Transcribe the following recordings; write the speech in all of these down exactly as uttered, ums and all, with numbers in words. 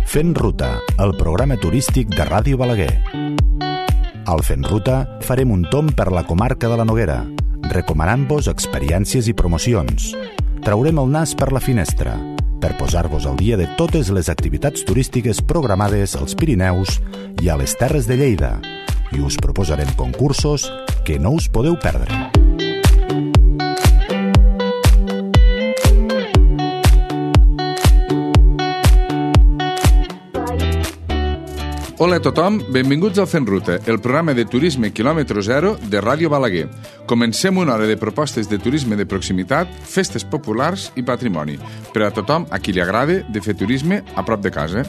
Fent Ruta, el programa turístic de Ràdio Balaguer. Al Fent Ruta farem un tomb per la comarca de la Noguera, recomanant-vos experiències i promocions. Traurem el nas per la finestra, per posar-vos al dia de totes les activitats turístiques programades als Pirineus i a les Terres de Lleida, i us proposarem concursos que no us podeu perdre. Hola a tothom, benvinguts al Fent Ruta, el programa de turisme quilòmetre zero de Ràdio Balaguer. Comencem una hora de propostes de turisme de proximitat, festes populars i patrimoni, per a tothom a qui li agrada de fer turisme a prop de casa.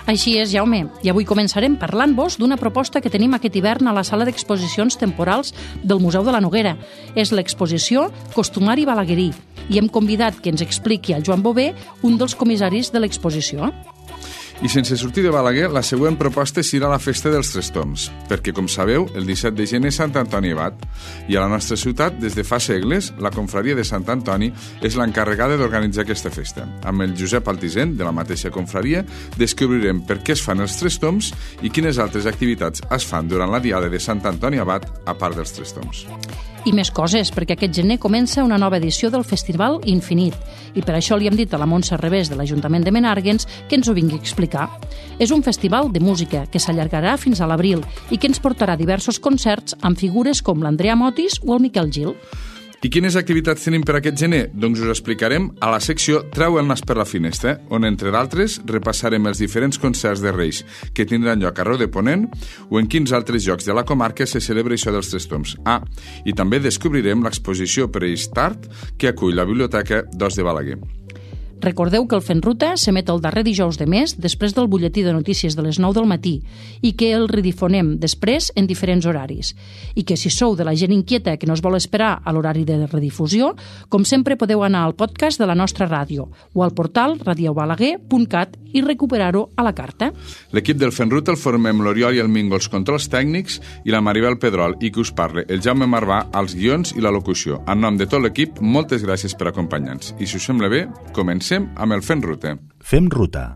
Així és, Jaume, i avui començarem parlant-vos d'una proposta que tenim aquest hivern a la sala d'exposicions temporals del Museu de la Noguera. És l'exposició Costumari Balaguerí, i hem convidat que ens expliqui el Joan Bové, un dels comissaris de l'exposició. I sense sortir de Balaguer, la següent proposta serà la Festa dels Tres Tombs, perquè, com sabeu, el disset de gener és Sant Antoni Abat, i a la nostra ciutat, des de fa segles, la confraria de Sant Antoni és l'encarregada d'organitzar aquesta festa. Amb el Josep Altisent, de la mateixa confraria, descobrirem per què es fan els Tres Tombs i quines altres activitats es fan durant la diada de Sant Antoni Abat, a part dels Tres Tombs. I més coses, perquè aquest gener comença una nova edició del Festival Infinit, i per això li hem dit a la Montse Revés de l'Ajuntament de Menàrguens que ens ho vingui a explicar. És un festival de música que s'allargarà fins a l'abril i que ens portarà diversos concerts amb figures com l'Andrea Motis o el Miquel Gil. I quines activitats tenim per aquest gener? Doncs us explicarem a la secció Treu el nas per la finestra, on, entre d'altres, repassarem els diferents concerts de Reis que tindran lloc arreu de Ponent o en quins altres llocs de la comarca se celebra això dels Tres Tombs. Ah, i també descobrirem l'exposició Preistart que acull la Biblioteca d'Os de Balaguer. Recordeu que el Fent Ruta s'emet el darrer dijous de mes després del butlletí de notícies de les nou del matí i que el redifonem després en diferents horaris. I que si sou de la gent inquieta que no es vol esperar a l'horari de redifusió, com sempre podeu anar al podcast de la nostra ràdio o al portal radiobalaguer punt cat i recuperar-ho a la carta. L'equip del Fent Ruta el formem l'Oriol i el Mingo als controls tècnics i la Maribel Pedrol i que us parle el Jaume Marvà als guions i la locució. En nom de tot l'equip, moltes gràcies per acompanyar-nos. I si us sembla bé, comencem amb el Fent Ruta. Fem Ruta.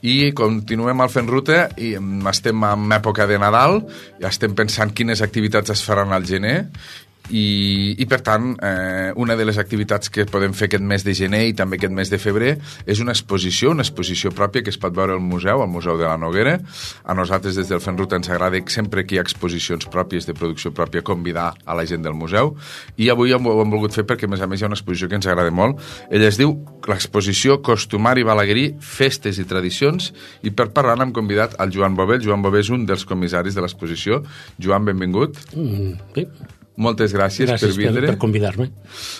I continuem al Fent Ruta i estem en època de Nadal, ja estem pensant quines activitats es faran al gener i, i per tant, eh, una de les activitats que podem fer aquest mes de gener i també aquest mes de febrer és una exposició, una exposició pròpia que es pot veure al museu, al Museu de la Noguera. A nosaltres des del Fent Ruta ens agrada sempre que hi ha exposicions pròpies de producció pròpia convidar a la gent del museu i avui ho hem volgut fer perquè a més a més hi ha una exposició que ens agrada molt. Ella es diu l'exposició Costumari Balaguerí, Festes i Tradicions i per parlar hem convidat al Joan Bové. El Joan Bové és un dels comissaris de l'exposició. Joan, benvingut. Mm, sí. Moltes gràcies, gràcies per vindre. per, per convidar-me.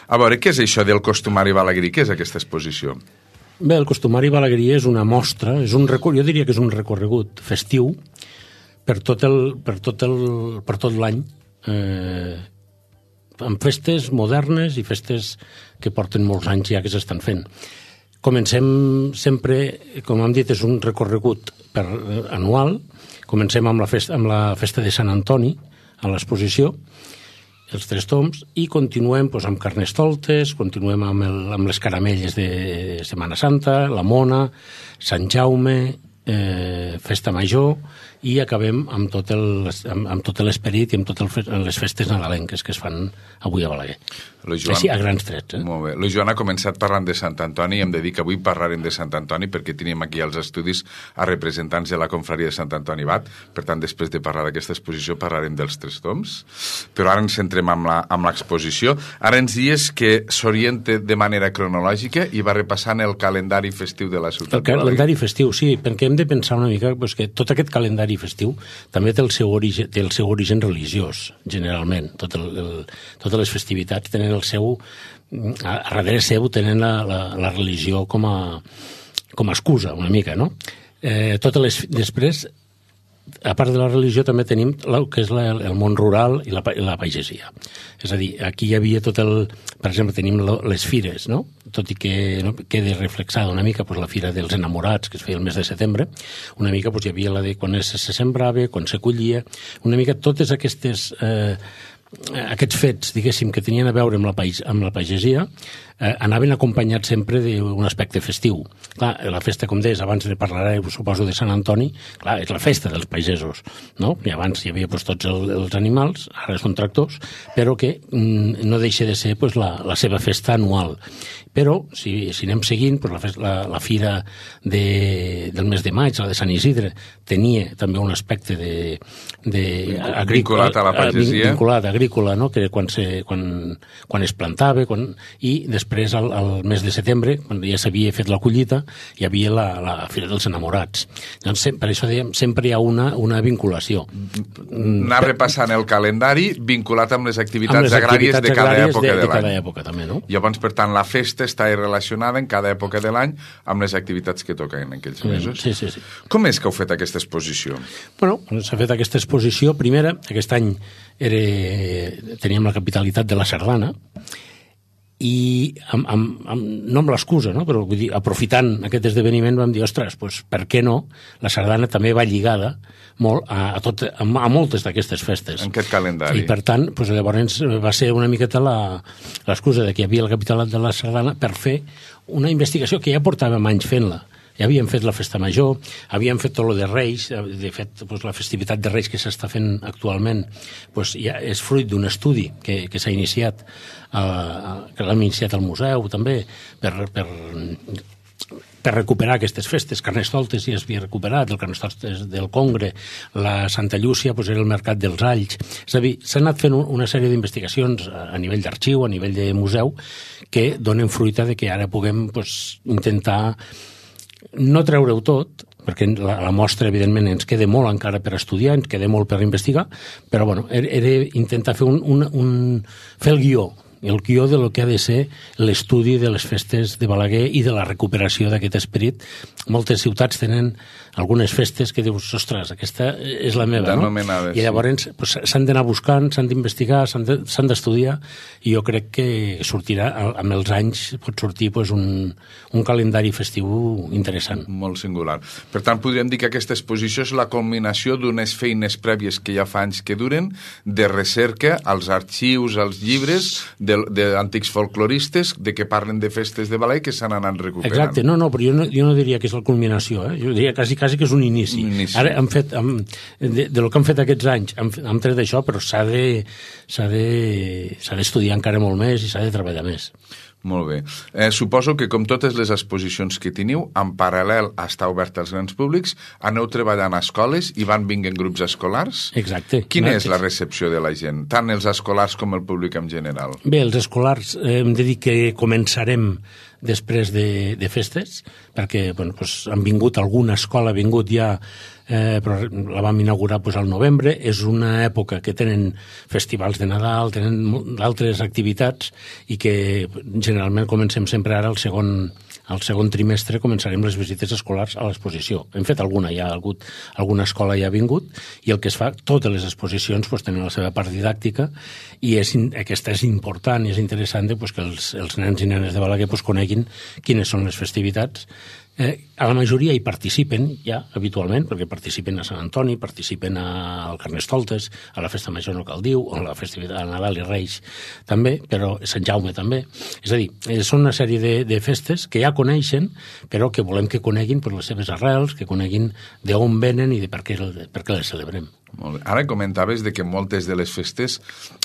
A veure, què és això del Costumari Balaguerí? Què és aquesta exposició? Bé, el Costumari Balaguerí és una mostra, és un recor... jo diria que és un recorregut festiu per tot el, per tot el, per tot l'any, eh, amb festes modernes i festes que porten molts anys ja que s'estan fent. Comencem sempre, com hem dit, és un recorregut per, anual. Comencem amb la, festa, amb la festa de Sant Antoni, a l'exposició, els Tres Tombs, i continuem doncs, amb Carnestoltes, continuem amb, el, amb les caramelles de Setmana Santa, la Mona, Sant Jaume, eh, Festa Major, i acabem amb tot, el, amb, amb tot l'esperit i amb totes les festes nadalenques que es fan avui a Balaguer. Joan, Així, a grans trets. Eh? Molt bé. La Joan ha començat parlant de Sant Antoni i hem de dir que avui parlarem de Sant Antoni perquè tenim aquí als estudis a representants de la confraria de Sant Antoni Abat. Per tant, després de parlar d'aquesta exposició parlarem dels Tres Tombs. Però ara ens centrem amb l'exposició. Ara ens dies que s'orienta de manera cronològica i va repassant el calendari festiu de la ciutat. El calendari festiu, sí, perquè hem de pensar una mica doncs, que tot aquest calendari festiu també té el seu origen, té el seu origen religiós, generalment. Tot el, el, totes les festivitats tenen el seu... A, a darrere seu tenen la, la, la religió com a, com a excusa, una mica, no? Eh, totes les... Després, a part de la religió, també tenim el que és la, el món rural i la, i la pagesia. És a dir, aquí hi havia tot el... Per exemple, tenim les fires, no? Tot i que no, quedi reflexada una mica pues, la fira dels enamorats, que es feia el mes de setembre, una mica pues, hi havia la de quan se sembrava, quan se collia, una mica totes aquestes... Eh, aquests fets, diguéssim, que tenien a veure amb la, país, amb la pagesia, eh, anaven acompanyats sempre d'un aspecte festiu. Clar, la festa, com deies, abans ne parlaré, suposo, de Sant Antoni, clar, és la festa dels pagesos, no? I abans hi havia pues, tots el, els animals, ara són tractors, però que mm, no deixa de ser pues, la, la seva festa anual. Però, si, si anem seguint, pues, la, festa, la, la fira de, del mes de maig, la de Sant Isidre, tenia també un aspecte de, de agrícola, vinculat a la pagesia. Vinculat a agrícola, no? Que quan, se, quan, quan es plantava, quan, i després al, al mes de setembre, quan ja s'havia fet la collita, hi havia la, la Fira dels Enamorats. Doncs, per això dèiem, sempre hi ha una, una vinculació. Anar repassant el calendari vinculat amb les activitats, amb les agràries activitats de cada agràries època de, de, de l'any. cada època, també, no? Llavors, per tant, la festa està relacionada en cada època de l'any amb les activitats que toquen en aquells mesos. Sí, sí, sí. Com és que heu fet aquesta exposició? Bueno, s'ha fet aquesta exposició. Primera, aquest any era, teníem la capitalitat de la Sardana, i amb, amb, amb, no amb l'excusa, no? Però vull dir, aprofitant aquest esdeveniment vam dir, ostres, doncs, per què no? La sardana també va lligada molt a, a, tot, a, a moltes d'aquestes festes. En aquest calendari. I per tant, doncs, llavors va ser una miqueta l'excusa de que hi havia la capital de la sardana per fer una investigació que ja portàvem anys fent-la. Ja havíem fet la festa major, havíem fet tot lo de Reis, de fet, doncs, la festivitat de Reis que s'està fent actualment doncs, ja és fruit d'un estudi que, que s'ha iniciat, eh, que l'hem iniciat al museu també, per, per, per recuperar aquestes festes. Carnestoltes ja es havia recuperat, el Carnestoltes del Congre, la Santa Llúcia doncs, era el Mercat dels Alls. És a dir, s'ha anat fent una sèrie d'investigacions a nivell d'arxiu, a nivell de museu, que donen fruita de que ara puguem doncs, intentar no treure-ho tot, perquè la, la mostra, evidentment, ens queda molt encara per estudiar, ens queda molt per investigar, però bueno, era, era intentar fer, un, un, un, fer el guió, el guió de lo que ha de ser l'estudi de les festes de Balaguer i de la recuperació d'aquest esperit. Moltes ciutats tenen algunes festes que dius, ostres, aquesta és la meva, no? I llavors pues, s'han d'anar buscant, s'han d'investigar, s'han d'estudiar, i jo crec que sortirà, amb els anys, pot sortir pues, un, un calendari festiu interessant. Molt singular. Per tant, podríem dir que aquesta exposició és la culminació d'unes feines prèvies que ja fa anys que duren, de recerca als arxius, als llibres, d'antics folcloristes, de que parlen de festes de Balaguer que s'han anat recuperant. Exacte, no, no, però jo no, jo no diria que és la culminació, eh? Jo diria quasi, quasi que és un inici. Un inici. Ara han fet, han, de, de lo que han fet aquests anys, han, han tret això, però s'ha de, s'ha de, s'ha d'estudiar encara molt més i s'ha de treballar més. Molt bé. Eh, suposo que, com totes les exposicions que teniu, en paral·lel a estar obert als grans públics, aneu treballant a escoles i van vinguent grups escolars? Exacte. Quina és la recepció de la gent, tant els escolars com el públic en general? Bé, els escolars eh, hem de dir que començarem després de, de festes, perquè bueno, doncs, han vingut, alguna escola ha vingut ja, eh, però la vam inaugurar doncs, al novembre. És una època que tenen festivals de Nadal, tenen altres activitats, i que generalment comencem sempre ara el segon, al segon trimestre començarem les visites escolars a l'exposició. Hem fet alguna, ja ha hagut, alguna escola ja ha vingut, i el que es fa, totes les exposicions doncs, tenen la seva part didàctica, i és, aquesta és important i és interessant doncs, que els, els nens i nenes de Balaguer doncs, coneguin quines són les festivitats. Eh, a la majoria hi participen ja habitualment, perquè participen a Sant Antoni, participen al Carnestoltes, a la Festa Major no cal dir, o a la festivitat de Nadal i Reis també, però Sant Jaume també. És a dir, eh, són una sèrie de, de festes que ja coneixen, però que volem que coneguin per les seves arrels, que coneguin d'on venen i de per què, per què les celebrem. Molt bé. Ara comentaves de que moltes de les festes,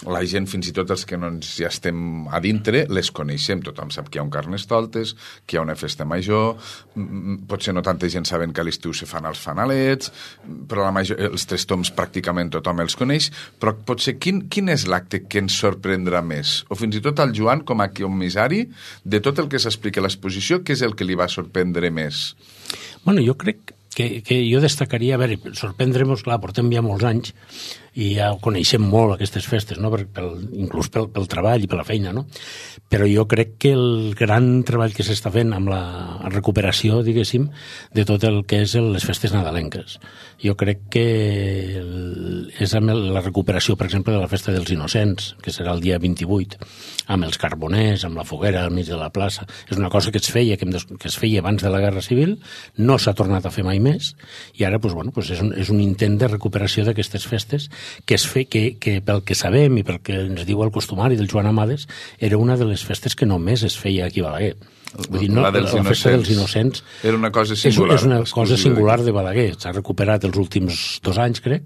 la gent, fins i tot els que no ens ja estem a dintre, les coneixem. Tothom sap que hi ha un Carnestoltes, que hi ha una festa major, potser no tanta gent saben que a l'estiu se fan els fanalets, però la major, els tres toms pràcticament tothom els coneix, però potser quin, quin és l'acte que ens sorprendrà més? O fins i tot al Joan, com a comissari, de tot el que s'explica a l'exposició, què és el que li va sorprendre més? Bueno, jo crec que, que jo destacaria, a veure, sorprendre-nos, clar, portem ja molts anys i ja coneixem molt aquestes festes, no? per, pel, inclús pel, pel treball i per la feina, no? Però jo crec que el gran treball que s'està fent amb la recuperació, diguéssim, de tot el que és les festes nadalenques. Jo crec que el, és amb la recuperació, per exemple, de la festa dels Innocents, que serà el dia vint-i-vuit, amb els carboners, amb la foguera al mig de la plaça. És una cosa que es feia, que, que es feia abans de la Guerra Civil, no s'ha tornat a fer mai més, i ara doncs, bueno, doncs és, un, és un intent de recuperació d'aquestes festes que es fe, que, que pel que sabem i pel que ens diu el costumari del Joan Amades, era una de les festes que només es feia aquí a Balaguer. Vull dir, no, la, la festa dels innocents era una cosa singular. És, és una cosa singular de Balaguer. S'ha recuperat els últims dos anys, crec,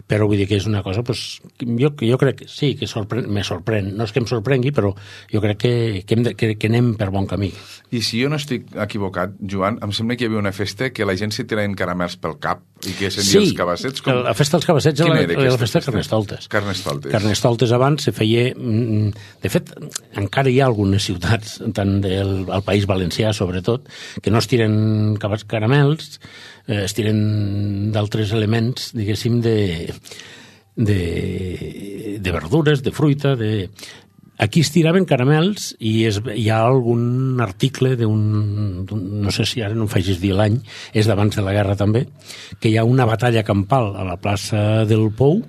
però vull dir que és una cosa, pues, jo, jo crec que sí, que sorprèn, me sorprèn. No és que em sorprengui, però jo crec que, que, hem de, que, que anem per bon camí. I si jo no estic equivocat, Joan, em sembla que hi havia una festa que la gent s'hi tiraven caramels pel cap i que s'envia sí, els cabassets. Com... la festa dels cabassets era, era, era la festa de Carnestoltes. Carnestoltes. Carnestoltes abans se feia... De fet, encara hi ha algunes ciutats, tant del al País Valencià, sobretot, que no es tiren caramels, eh, es tiren d'altres elements, diguéssim, de, de, de verdures, de fruita, de... Aquí es tiraven caramels i es, hi ha algun article d'un, no sé si ara no em facis dir l'any, és d'abans de la guerra també, que hi ha una batalla campal a la plaça del Pou,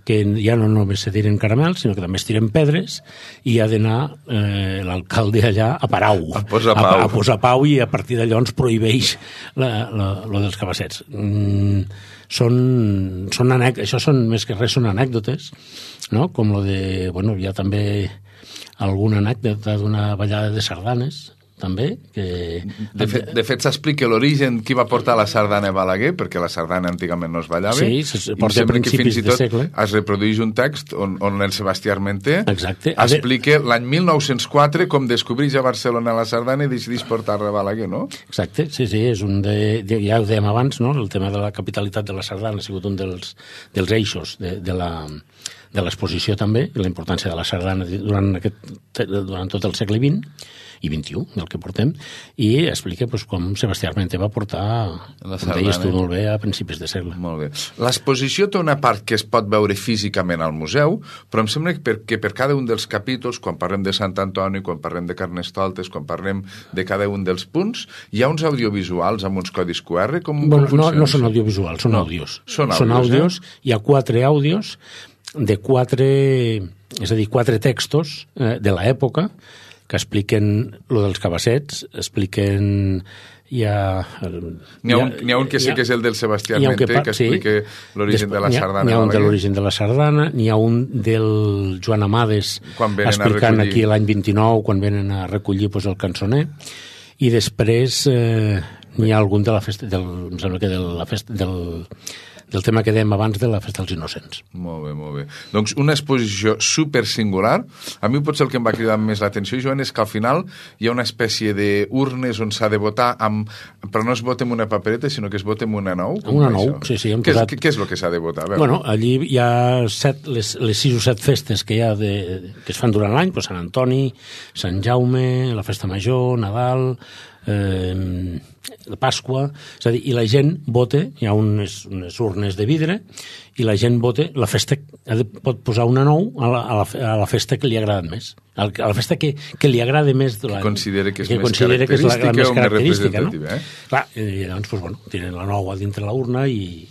que ja no només se tiren caramels, sinó que també es tiren pedres, i ha d'anar eh, l'alcalde allà a parar-ho. A posar pau. A, a posar pau, i a partir d'allò ens prohibeix la, la, lo dels cabassets. Mm, són, són anècdotes, això són, més que res, són anècdotes, no? Com lo de, bueno, hi ha també alguna anècdota d'una ballada de sardanes, també, que... De fet, de fet s'explica l'origen, qui va portar la sardana a Balaguer, perquè la sardana antigament no es ballava. Sí, se porta a principis de segle. Es reprodueix un text on, on el Sebastià Armenter Exacte. explica l'any mil nou-cents quatre com descobreix a Barcelona la sardana i decideix portar-la a Balaguer, no? Exacte, sí, sí, és un de... Ja ho dèiem abans, no?, el tema de la capitalitat de la sardana ha sigut un dels, dels eixos de, de la... de l'exposició també, i la importància de la sardana durant, aquest, durant tot el segle vint i vint-i-u, del que portem, i explica doncs, com Sebastià Armenter va portar, la com deies tu molt bé, a principis de segle. Molt bé. L'exposició té una part que es pot veure físicament al museu, però em sembla que per, que per cada un dels capítols, quan parlem de Sant Antoni, quan parlem de Carnestoltes, quan parlem de cada un dels punts, hi ha uns audiovisuals amb uns codis Q R? Com, bueno, com no, no són audiovisuals, són no, àudios. Són àudios, són àudios eh? Hi ha quatre àudios de quatre, és a dir, quatre textos eh, de l'època que expliquen lo dels cabassets, expliquen... Hi ha, n'hi ha, ha, ha un que sé que és el del Sebastià Armenter, que, que explica sí. l'origen de la sardana. N'hi ha un de l'origen de la sardana, n'hi ha un del Joan Amades explicant aquí l'any vint-i-nou, quan venen a recollir pues, el cançoner, i després eh, n'hi ha algun de la festa, del, em sembla que de la festa, del... del tema que dèiem abans de la Festa dels Innocents. Molt bé, molt bé. Doncs una exposició super singular. A mi potser el que em va cridar més l'atenció, Joan, és que al final hi ha una espècie d'urnes on s'ha de votar, amb... però no es vota amb una papereta, sinó que es vota amb una nou. Una nou, sí, sí. Què, posat... és, què és el que s'ha de votar? Bueno, allí hi ha set, les, les sis o set festes que hi ha de, que es fan durant l'any, pues Sant Antoni, Sant Jaume, la Festa Major, Nadal... Eh, la Pasqua, és a dir, i la gent vota, hi ha unes, unes urnes de vidre, i la gent vota, la festa pot posar una nou a la, a la, a la festa que li agrada més, a la festa que, que li agrada més de que considera que és que més característica, que és la, la més característica, no? Eh? Clar, i llavors, pues, bueno, tiren la nou a dintre la urna i...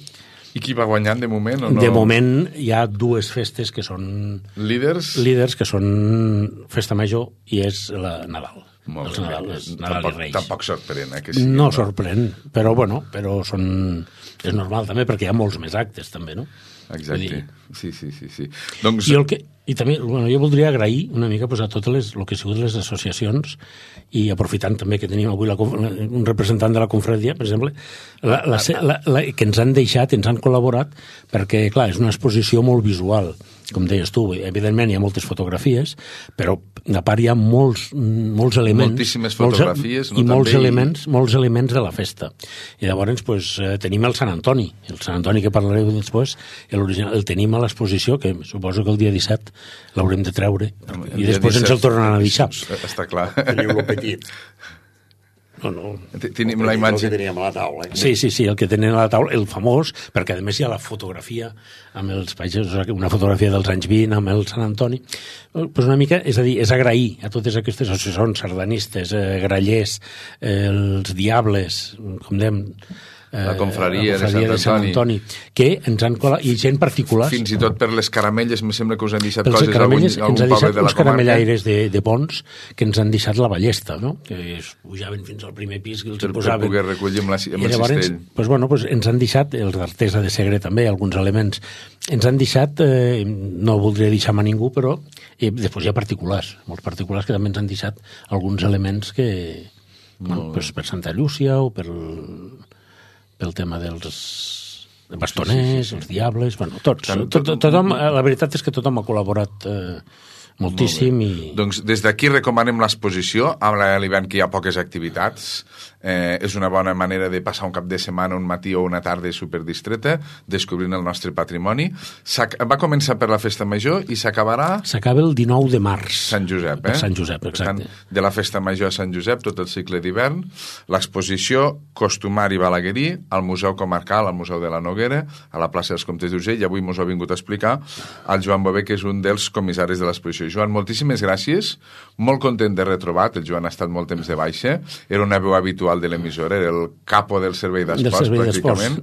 I qui va guanyant de moment o no? De moment hi ha dues festes que són... Líders? Líders, que són Festa Major i és la Nadal. Molt els Nadal, els Nadal tampoc, i Reis. Tampoc sorprèn, eh? Que sí, no, no sorprèn, però bueno, però són... és normal també, perquè hi ha molts més actes també, no? Exacte, dir... sí, sí, sí, sí. Doncs... I, el que, i també, bueno, jo voldria agrair una mica pues, a totes les, el que han sigut les associacions, i aprofitant també que tenim avui la, un representant de la confraria, per exemple, la, la, la, la, que ens han deixat, ens han col·laborat, perquè, clar, és una exposició molt visual, com deies tu, evidentment hi ha moltes fotografies, però a part hi ha molts, molts elements... Moltíssimes fotografies, molts, no? I molts també elements, i... molts elements de la festa. I llavors pues, eh, tenim el Sant Antoni, el Sant Antoni que parlareu després, el, el tenim a l'exposició, que suposo que el dia disset l'haurem de treure, el i després disset, ens el tornen a deixar. Està clar. Teniu-lo petit. No, no. Tenim la imatge. El que teníem a la taula. Eh? Sí, sí, sí, el que tenen a la taula, el famós, perquè a més hi ha la fotografia amb els països, una fotografia dels anys vint amb el Sant Antoni. Pues una mica, és a dir, és agrair a totes aquestes associacions sardanistes, eh, grallers, eh, els diables, com dèiem, la confraria, la confraria de, de Sant Antoni. Sant Antoni, que ens han colat, i gent particulars. Fins i tot per les caramelles, em sembla que us han deixat Pels coses caramelles algun, ens han algun poble deixat de la uns comarca. caramellaires de, de Pons que ens han deixat la ballesta, no? Que es pujaven fins al primer pis que els per, posaven. per poder recollir amb, la, amb I el llavors, cistell. pues, bueno, pues, ens han deixat, els d'Artesa de Segre també, alguns elements, ens han deixat, eh, no voldria deixar a ningú, però eh, després hi ha particulars, molts particulars que també ens han deixat alguns elements que, bueno, pues, per Santa Llúcia o per, pel tema dels bastoners, sí, sí, sí, sí. els diables, bueno, tots. Tant, tot, tot, tothom, la veritat és que tothom ha col·laborat eh, moltíssim. I... Doncs des d'aquí recomanem l'exposició, amb l'hivern que hi ha poques activitats. Eh, és una bona manera de passar un cap de setmana, un matí o una tarda superdistreta, descobrint el nostre patrimoni. Va començar per la Festa Major i s'acabarà... S'acaba el dinou de març. Sant Josep, eh? Per Sant Josep, exacte. Per tant, de la Festa Major a Sant Josep, tot el cicle d'hivern, l'exposició Costumari i Balaguerí, al Museu Comarcal, al Museu de la Noguera, a la plaça dels Comtes d'Urgell, i avui mos ha vingut a explicar el Joan Bové, que és un dels comissaris de l'exposició. Joan, moltíssimes gràcies, molt content de retrobat, el Joan ha estat molt temps de baixa, era una veu habitual de l'emissora, era el capo del servei d'esports, pràcticament,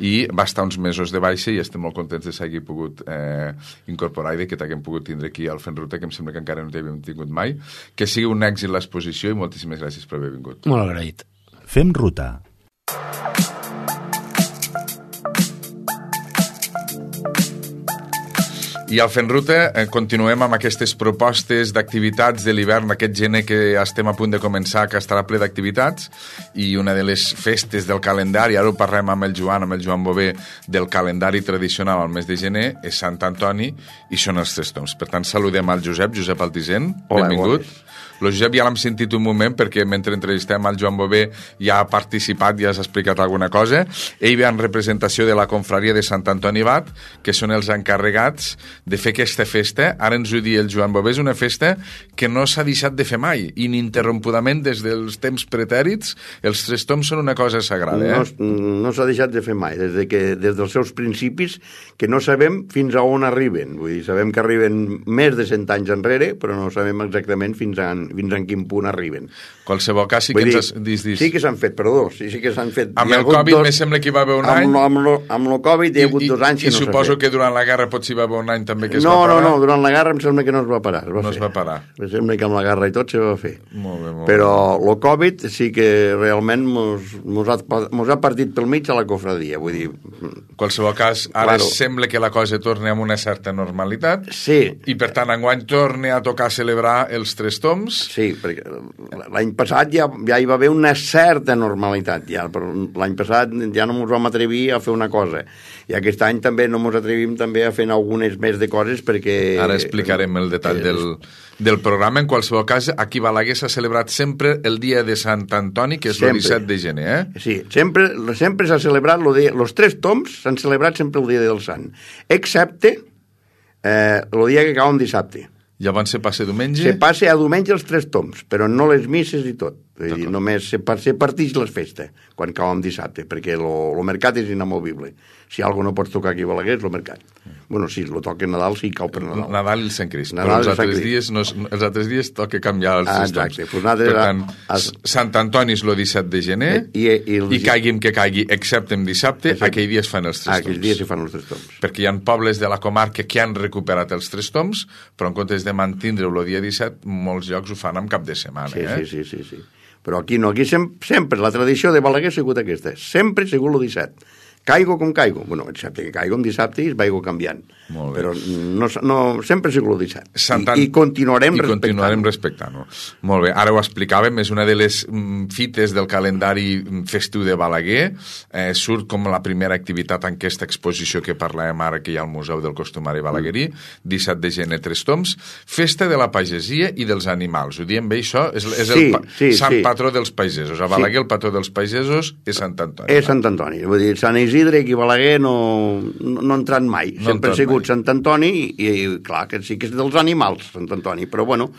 i va estar uns mesos de baixa i estem molt contents de s'hagi pogut eh, incorporar i de que t'haguem pogut tindre aquí al Fent Ruta, que em sembla que encara no t'havíem tingut mai. Que sigui un èxit l'exposició i moltíssimes gràcies per haver vingut. Molt agraït. Fem Ruta. I al Fent Ruta eh, continuem amb aquestes propostes d'activitats de l'hivern, aquest gener que estem a punt de començar, que estarà ple d'activitats, i una de les festes del calendari, ara ho parlem amb el Joan, amb el Joan Bové, del calendari tradicional al mes de gener, és Sant Antoni, i són els Tres Tombs. Per tant, saludem al Josep, Josep Altisent, Hola, benvingut. Hola. El Josep ja l'hem sentit un moment perquè mentre entrevistem al Joan Bové ja ha participat, ja has explicat alguna cosa. Ell ve en representació de la confraria de Sant Antoni Abat, que són els encarregats de fer aquesta festa. Ara ens ho diu el Joan Bové, és una festa que no s'ha deixat de fer mai, ininterrompudament des dels temps pretèrits. Els Tres Tombs són una cosa sagrada, eh? No, no s'ha deixat de fer mai, des, de que, des dels seus principis, que no sabem fins a on arriben. Vull dir, sabem que arriben més de cent anys enrere, però no sabem exactament fins a, fins en quin punt arriben. Qualsevol cas, sí que dir, ens has... Dis, dis. Sí que s'han fet, perdó, sí, sí que s'han fet. Amb el Covid, dos... me sembla que hi va haver un amb any. Lo, amb, lo, amb el Covid hi ha hagut I, dos anys que i no s'ha fet. I suposo que durant la guerra potser hi va haver un any també que es no, va parar. No, no, durant la guerra em sembla que no es va parar. Es va no fer. es va parar. Em sembla que amb la guerra i tot se va fer. Molt bé, molt Però bé. el Covid sí que realment mos, mos, ha, mos ha partit pel mig a la cofradia, vull dir... En qualsevol cas, ara claro. Sembla que la cosa torna amb una certa normalitat. Sí. I per tant, enguany torna a tocar celebrar els Tres Tombs. Sí, perquè l'any passat ja, ja hi va haver una certa normalitat, ja, però l'any passat ja no ens vam atrevir a fer una cosa. I aquest any també no ens atrevim també a fer algunes més de coses perquè... Ara explicarem el detall eh, del, del programa. En qualsevol cas, aquí a Balaguer s'ha celebrat sempre el dia de Sant Antoni, que és sempre. El disset de gener, eh? Sí, sempre, sempre s'ha celebrat el dia... Els Tres Tombs s'han celebrat sempre el dia del Sant, excepte eh, el dia que cau un dissabte. Llavors se passa diumenge? Se passa a diumenge els Tres Tombs, però no les misses i tot. Vull dir, només se, se partix les festes quan cau en dissabte, perquè el mercat és inamovible. Si alguna no pots tocar aquí a Balaguer és el mercat. Bueno, sí, lo toca Nadal, sí, cau per Nadal. Nadal i el Sant Crist. Nadal però els altres, Crist. dies no, els altres dies toca canviar els ah, Tres Tombs. Exacte. Pues per tant, as... Sant Antoni és el disset de gener i, i, i, el... i caigui'm que caigui, excepte en dissabte, Exacte. aquell dia es fan els Tres ah, Tombs. aquell dia s'hi fan els Tres Tombs. Perquè hi ha pobles de la comarca que han recuperat els Tres Tombs, però en comptes de mantindre-ho el dia disset, molts llocs ho fan amb cap de setmana. Sí, eh? sí, sí, sí, sí. Però aquí no, aquí sem sempre, la tradició de Balaguer ha sigut aquesta, sempre ha sigut el disset. Caigo com caigo, bueno, excepte que caigo un dissabte i es vaigo canviant, però no, no, sempre ha sigut el disset. Santant... I, i continuarem I respectant-ho. continuarem respectant-ho. Molt bé, ara ho explicàvem, és una de les mm, fites del calendari festiu de Balaguer, eh, surt com la primera activitat en aquesta exposició que parlàvem ara, que hi ha al Museu del Costumari Balaguerí, disset de gener, Tres Tombs, festa de la pagesia i dels animals. Ho diem bé, això? És, és sí, el pa sí, sant sí. patró dels pagesos. A Balaguer sí. el patró dels pagesos és Sant Antoni. És Sant Antoni, vull dir, Sant Isidre i Balaguer no, no, no ha entrat mai, no sempre ha sigut mai. Sant Antoni i, i clar que sí que és dels animals, Sant Antoni, però bueno,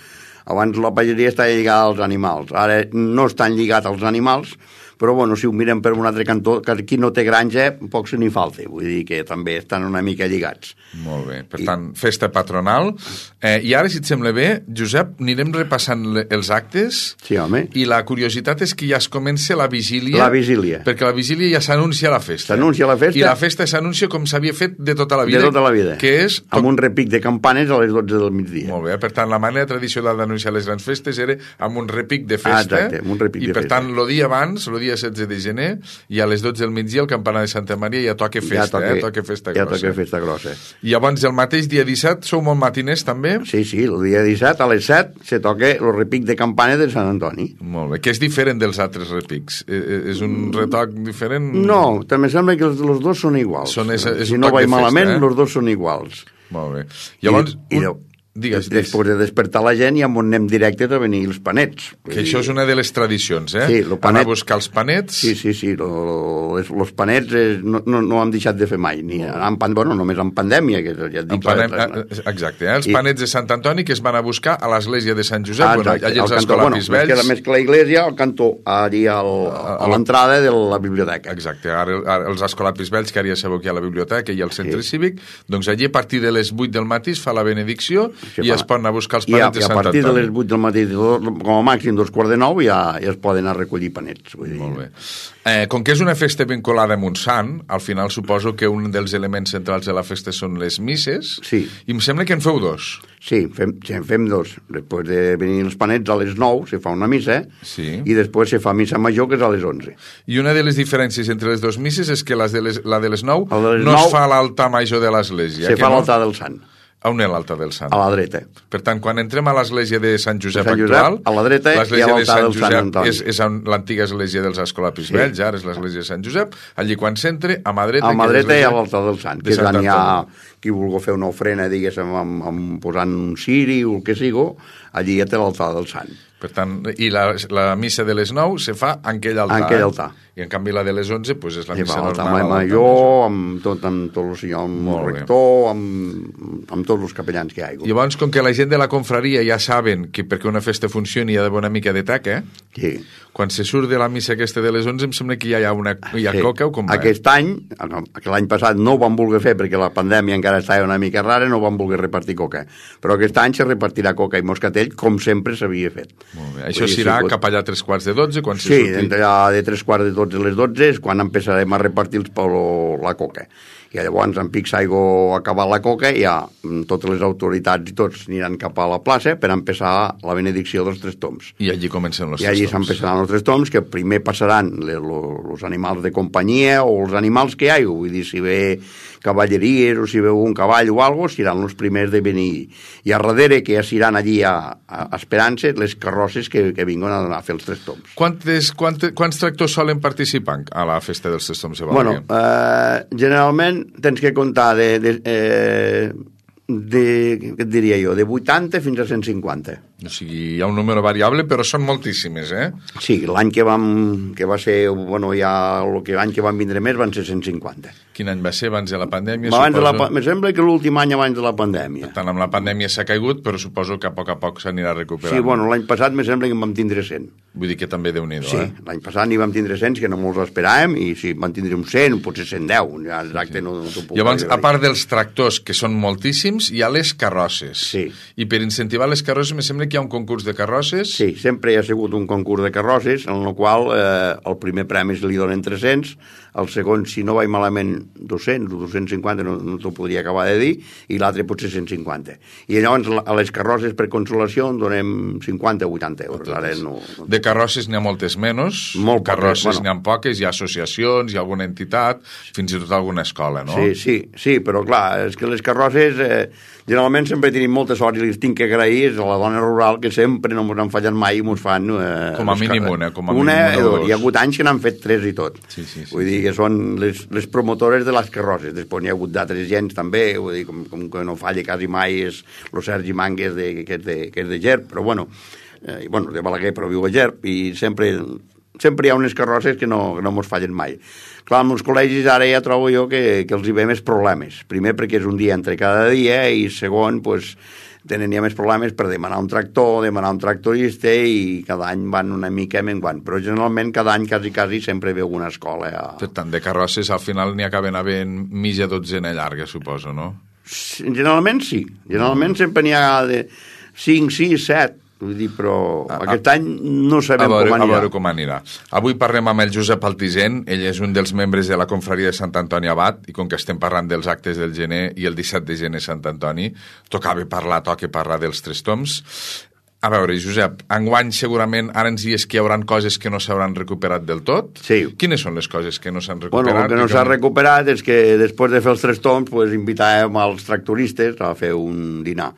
abans la pagesia estava lligada als animals, ara no estan lligats als animals, però bueno, si ho mirem per un altre cantó, que qui no té granja, poc se n'hi falta, vull dir que també estan una mica lligats. Molt bé, per I... tant, festa patronal. Eh, I ara, si et sembla bé, Josep, anirem repassant le, els actes. Sí, home. I la curiositat és que ja es comença la vigília. La vigília. Perquè la vigília ja s'anuncia la festa. S'anuncia la festa. I la festa s'anuncia com s'havia fet de tota la vida. De tota la vida. Que és... Amb un repic de campanes a les dotze del migdia. Molt bé, per tant, la manera tradicional d'anunciar les grans festes era amb un repic de festa. Ah, exacte, amb un repic I de per festa. tant, el dia abans, el dia setze de gener, i a les dotze del migdia el campanar de Santa Maria ja toca festa, ja toca, eh? Toca festa ja grossa. toca festa grossa. I llavors el mateix dia disset sou molt matiners també? Sí, sí, el dia disset a les set se toca el repic de campana de Sant Antoni. Molt bé, que és diferent dels altres repics? Eh, és un retoc diferent? No, també sembla que els, els dos són iguals. Són és, és si un no toc vaig de festa, malament, eh? els dos són iguals. Molt bé. Llavors, I, i, un... Digues, Des, després de despertar la gent ja on anem directes a venir els panets. Que això és una de les tradicions, eh? Sí, lo panet... Anar a buscar els panets. Sí, sí, sí. Lo, lo, els panets eh, no, no, no hem deixat de fer mai. Ni en, bueno, només en pandèmia. Que ja et dic, pandèm... la, la... Exacte, eh? Els I... panets de Sant Antoni que es van a buscar a l'església de Sant Josep, ah, bueno, allà els escolapis bueno, vells. Més, més que la iglesia, al cantó, allà al, a l'entrada de la biblioteca. Exacte, ara, ara els escolapis vells, que ara ja sabeu que hi ha la biblioteca i al centre sí. cívic, doncs allí a partir de les vuit del matí es fa la benedicció sí, i fa... es poden anar a buscar els panets de Sant Antoni. I a partir de les vuit del matí, com a màxim dos quarts de nou, ja, ja es poden anar a recollir panets. Vull dir. Molt bé. Eh, com que és una festa vinculada amb un sant, al final suposo que un dels elements centrals de la festa són les misses, sí. I em sembla que en feu dos. Sí, fem, sí, en fem dos. Després de venir els panets a les nou se fa una missa, sí. I després se fa missa major, que és a les onze. I una de les diferències entre les dues misses és que les de les, la de les nou de les no nou, es fa a l'altar major de l'església. Se fa no? a l'altar del sant. A on és l'altar del sant? A la dreta. Per tant, quan entrem a l'església de Sant Josep, Sant Josep actual, a la dreta, l'església de Sant del Josep Sant Antoni. és, és l'antiga església dels escolapis sí. vells, ara és l'església de Sant Josep, allí quan s'entra, a mà dreta... A mà dreta hi ha l'altar del sant, que és on hi ha qui vulgui fer una ofrena, diguéssim, amb, amb, posant un ciri o el que sigui, allí ja té l'altar del sant. Per tant, i la, la missa de les nou se fa en aquell altar. En aquell altar. I en canvi la de les onze pues, és la I missa va, normal. L'altar major, amb tot, amb tot el senyor, amb el rector, amb, amb tots els capellans que hi ha. Llavors, com que la gent de la confraria ja saben que perquè una festa funcioni hi ha d'haver una mica de taca, eh? Sí. Quan se surt de la missa aquesta de les onze em sembla que ja hi ha, una, hi ha sí. coca o com va? Aquest any, l'any passat no ho vam voler fer perquè la pandèmia encara estava una mica rara, no vam voler repartir coca. Però aquest any se repartirà coca i moscatell com sempre s'havia fet. Molt bé. Això s'irà sí, cap allà a tres quarts de dotze? Quan sí, surti... allà de tres quarts de dotze a les dotze és quan empezarem a repartir els polo, la coca. I llavors en pic s'aigua acabar la coca i ja totes les autoritats i tots aniran cap a la plaça per empezar la benedicció dels tres toms. I allí comencen els I tres allí toms. s'empezaran els tres toms, que primer passaran els animals de companyia o els animals que hi hagi, vull dir, si ve cavalleries o si veu un cavall o alguna cosa, seran els primers de venir. I a darrere, que ja seran allí a, a esperant-se, les carrosses que, que vinguen a, a fer els tres toms. Quantes, quantes, quants tractors solen participar a la festa dels tres toms de Balaguer? Bueno, eh, generalment tens que comptar de, de, eh, de, què et diria jo, de vuitanta fins a cent cinquanta. O sigui, hi ha un número variable, però són moltíssimes, eh? Sí, l'any que vam, que va ser, bueno, ja el que l'any que van vindre més van ser cent cinquanta. Quin any va ser? Abans de la pandèmia, abans suposo? De la, me sembla que l'últim any abans de la pandèmia. Per tant, amb la pandèmia s'ha caigut, però suposo que a poc a poc s'anirà recuperant. Sí, bueno, l'any passat me sembla que en vam tindre cent. Vull dir que també Déu-n'hi-do, sí, eh? Sí, l'any passat n'hi vam tindre cent, que no molts esperàvem, i sí, vam tindre un cent, potser cent deu, ja exacte, sí, sí. no, no t'ho puc Llavors, a part dels tractors, que són moltíssims, hi ha les carrosses. Sí. I per incentivar les carrosses, me sembla que hi ha un concurs de carrosses. Sí, sempre hi ha sigut un concurs de carrosses, en el qual eh, el primer premi se li donen tres-cents, el segon, si no vaig malament, dos-cents o dos-cents cinquanta, no, no t'ho podria acabar de dir, i l'altre potser cent cinquanta. I llavors a les carrosses per consolació en donem cinquanta o vuitanta euros. Ara no, no... De carrosses n'hi ha moltes menys, Molt carrosses poques, bueno. N'hi ha poques, hi ha associacions, hi ha alguna entitat, fins i tot alguna escola, no? Sí, sí, sí, però clar, és que les carrosses eh, generalment sempre tenim molta sort i les tinc que agrair és a la dona rural que sempre no ens han fallat mai i ens fan... Eh, com a mínim una, com a mínim una, una o dos. Hi ha hagut anys que n'han fet tres i tot. Sí, sí, sí. Vull dir que són les, les promotores de les carrosses. Després n'hi ha hagut d'altres gens també, vull dir, com, com que no falla quasi mai és el Sergi Mangues, de, que, és de, que és de Gerb, però bueno, eh, bueno, de Balaguer, però viu a Gerb, i sempre, sempre hi ha unes carrosses que no, que no mos fallen mai. Clar, amb els col·legis ara ja trobo jo que, que els hi ve més problemes. Primer perquè és un dia entre cada dia i segon, pues, tenen ja més problemes per demanar un tractor, demanar un tractorista, i cada any van una mica menguant. Però generalment cada any quasi, quasi sempre veu una escola. A... Per tant, de carrosses al final n'hi acaben havent mitja dotzena llarga, suposo, no? Generalment sí. Generalment sempre n'hi ha de cinc, sis, set. Vull dir, però a, aquest any no sabem veure, com anirà. A veure com anirà. Avui parlem amb el Josep Altisent, ell és un dels membres de la confraria de Sant Antoni Abat, i com que estem parlant dels actes del gener i el disset de gener Sant Antoni, tocava parlar, toca parlar dels tres toms. A veure, Josep, enguany segurament ara ens dius que hi haurà coses que no s'hauran recuperat del tot. Sí. Quines són les coses que no s'han recuperat? Bueno, el que no s'ha recuperat és que després de fer els tres toms pues, invitàvem als tractoristes a fer un dinar.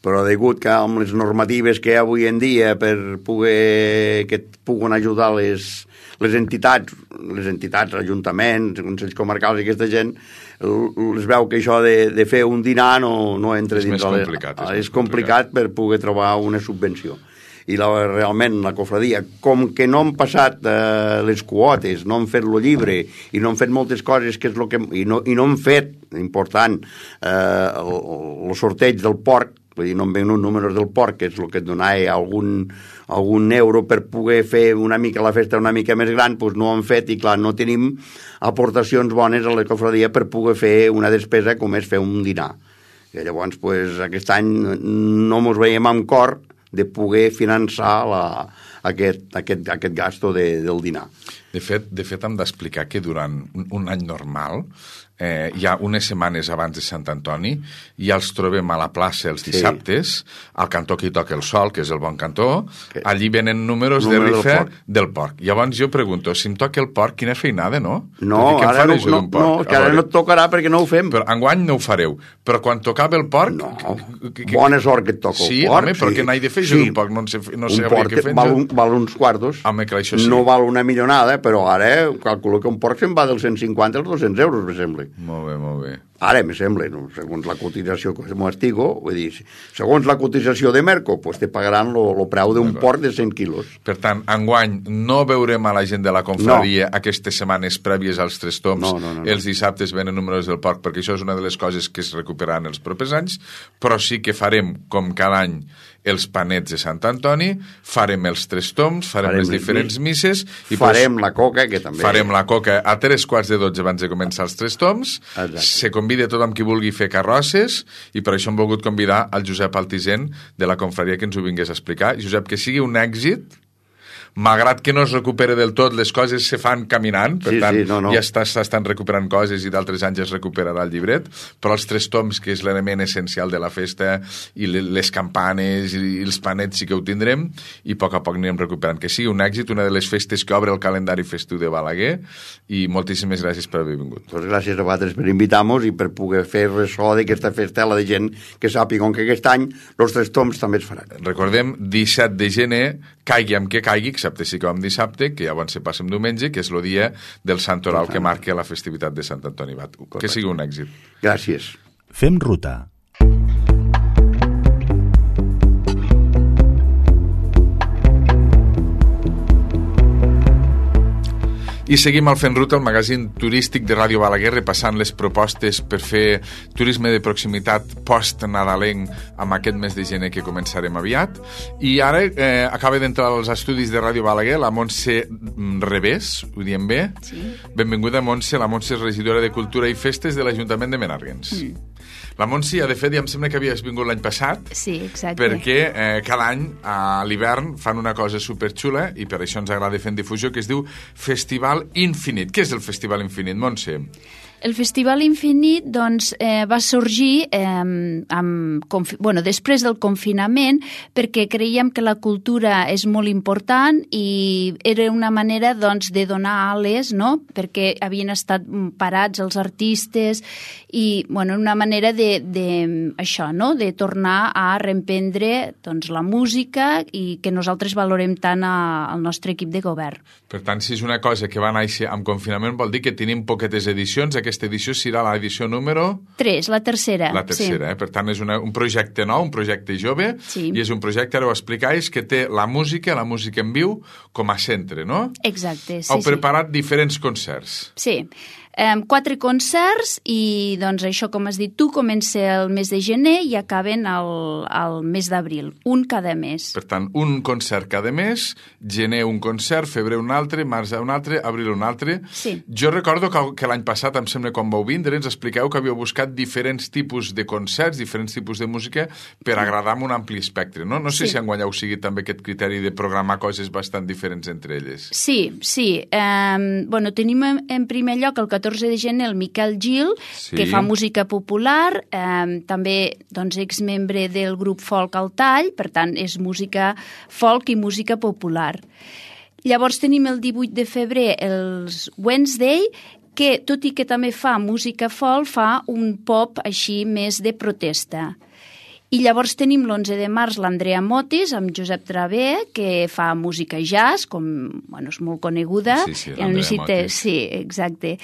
Però degut que amb les normatives que hi ha avui en dia per poder que et puguen ajudar les, les entitats, les entitats, ajuntaments, consells comarcals i aquesta gent, es veu que això de, de fer un dinar no, no entra és dins... Més complicat, la, és, és complicat, complicat per poder trobar una subvenció. I la, realment la cofradia, com que no han passat eh, les quotes, no han fet el llibre i no han fet moltes coses que és lo que, i, no, i no han fet, important, eh, el, el sorteig del porc, vull dir, no em venen números del porc, que és el que et donava algun, algun euro per poder fer una mica la festa una mica més gran, doncs no ho han fet i clar, no tenim aportacions bones a la cofradia per poder fer una despesa com és fer un dinar. I llavors, pues, aquest any no mos veiem amb cor de poder finançar la, aquest, aquest, aquest gasto de, del dinar. De fet, de fet, hem d'explicar que durant un, un any normal eh, hi ha unes setmanes abans de Sant Antoni, ja els trobem a la plaça els dissabtes, sí. Al cantó que hi toca el sol, que és el bon cantó, okay. Allí venen números Número de rifa del porc. del porc. Llavors jo pregunto, si em toca el porc, quina feinada, no? No, ara no, no, no, que ara no et tocarà perquè no ho fem. Però enguany no ho fareu. Però quan tocava el porc... No, que, que, bona sort que et toca sí, el porc. Home, però sí, què n'hi de fer jo sí. d'un porc? No sé, no sé un porc què val, un, val uns quartos, home, clar, això sí. No val una millonada, però ara calculo que un porc se'n va dels cent cinquanta als dos-cents euros, me sembla. Molt bé, molt bé. Ara, me sembla, no? Segons la cotització que m'ho estigo, vull dir, segons la cotització de Merco, pues te pagaran el preu d'un porc de cent quilos. Per tant, enguany no veurem a la gent de la confraria no. Aquestes setmanes prèvies als tres toms, no, no, no, no. Els dissabtes venen números del porc, perquè això és una de les coses que es recuperaran els propers anys, però sí que farem, com cada any, els panets de Sant Antoni, farem els tres toms, farem, farem les diferents misses... I farem pues, la coca, que també... Farem la coca a tres quarts de dotze abans de començar els tres toms. Exacte. Se convida tothom qui vulgui fer carrosses, i per això hem volgut convidar el Josep Altisent de la confraria que ens ho vingués a explicar. Josep, que sigui un èxit... Malgrat que no es recupera del tot, les coses se fan caminant, per sí, tant, sí, no, no. ja s'estan recuperant coses i d'altres anys es recuperarà el llibret, però els tres toms, que és l'element essencial de la festa, i les campanes i els panets sí que ho tindrem, i a poc a poc anirem recuperant. Que sigui un èxit, una de les festes que obre el calendari festiu de Balaguer, i moltíssimes gràcies per haver vingut. Pues gràcies a vosaltres per invitar-nos i per poder fer ressò d'aquesta festela de gent que sàpiga que aquest any els tres toms també es faran. Recordem, disset de gener, caigui amb què caigui, excepte si com dissabte, que llavors se passa diumenge, que és el dia del Sant Oral que marca la festivitat de Sant Antoni Abat. Que sigui un èxit. Gràcies. Fem ruta. I seguim al Fent Ruta, el magazín turístic de Ràdio Balaguer, repassant les propostes per fer turisme de proximitat post-nadalenc amb aquest mes de gener que començarem aviat. I ara eh, acaba d'entrar als estudis de Ràdio Balaguer la Montse Revés, ho diem bé? Sí. Benvinguda, Montse. La Montse és regidora de Cultura i Festes de l'Ajuntament de Menàrguens. Mm. La Montse, de fet, ja em sembla que havies vingut l'any passat. Sí, exacte. Perquè eh, cada any, a l'hivern, fan una cosa superxula, i per això ens agrada fer en difusió, que es diu Festival Infinit. Què és el Festival Infinit, Montse? El Festival Infinit doncs, eh, va sorgir eh, amb, bueno, després del confinament perquè creiem que la cultura és molt important i era una manera doncs, de donar ales, no? Perquè havien estat parats els artistes i bueno, una manera de, de, això, no? De tornar a reemprendre doncs, la música i que nosaltres valorem tant a, al nostre equip de govern. Per tant, si és una cosa que va néixer amb confinament, vol dir que tenim poquetes edicions. Aquesta aquesta edició serà l'edició número... tres, la tercera. La tercera, sí. eh? Per tant, és una, un projecte nou, un projecte jove, sí. i és un projecte, ara ho explicais, que té la música, la música en viu, com a centre, no? Exacte, sí. Heu preparat sí. diferents concerts. Sí. Um, quatre concerts i, doncs, això, com has dit tu, comença el mes de gener i acaben al, al mes d'abril, un cada mes. Per tant, un concert cada mes, gener un concert, febrer un altre, març un altre, abril un altre. Sí. Jo recordo que, que l'any passat, em sembla, quan vau vindre, ens expliqueu que havíeu buscat diferents tipus de concerts, diferents tipus de música per agradar amb un ampli espectre, no? No sé sí. si enguany heu seguit també aquest criteri de programar coses bastant diferents entre elles. Sí, sí. Um, bueno, tenim en primer lloc el catorze de gener el Miquel Gil, sí. que fa música popular, eh, també doncs, exmembre del grup Folk al Tall, per tant, és música folk i música popular. Llavors tenim el divuit de febrer els Wednesday, que, tot i que també fa música folk, fa un pop així més de protesta. I llavors tenim l'onze de març l'Andrea Motis amb Josep Travé, que fa música jazz, com, bueno, és molt coneguda. Sí, sí, l'Andrea Motis. Sí, exacte.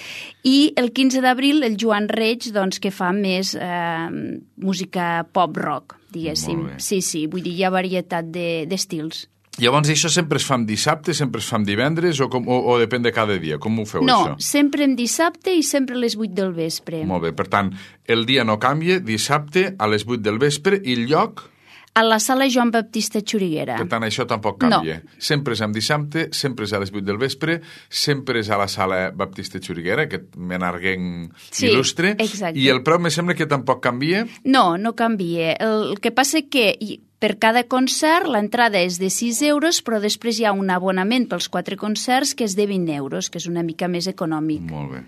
I el quinze d'abril el Joan Reig, doncs, que fa més eh, música pop-rock, diguéssim. Sí, sí, vull dir, hi ha varietat d'estils. De, Llavors, això sempre es fa en dissabte, sempre es fa en divendres, o, com, o, o depèn de cada dia? Com ho feu, no, això? No, sempre en dissabte i sempre a les vuit del vespre. Molt bé, per tant, el dia no canvia, dissabte a les vuit del vespre, i el lloc? A la sala Joan Baptista Xuriguera. Per tant, això tampoc canvia. No. Sempre és en dissabte, sempre és a les vuit del vespre, sempre és a la sala Baptista Xuriguera, aquest menarguenc sí, il·lustre. Exacte. I el preu me sembla que tampoc canvia? No, no canvia. El, el que passa que per cada concert l'entrada és de sis euros, però després hi ha un abonament pels quatre concerts que és de vint euros, que és una mica més econòmic. Molt bé.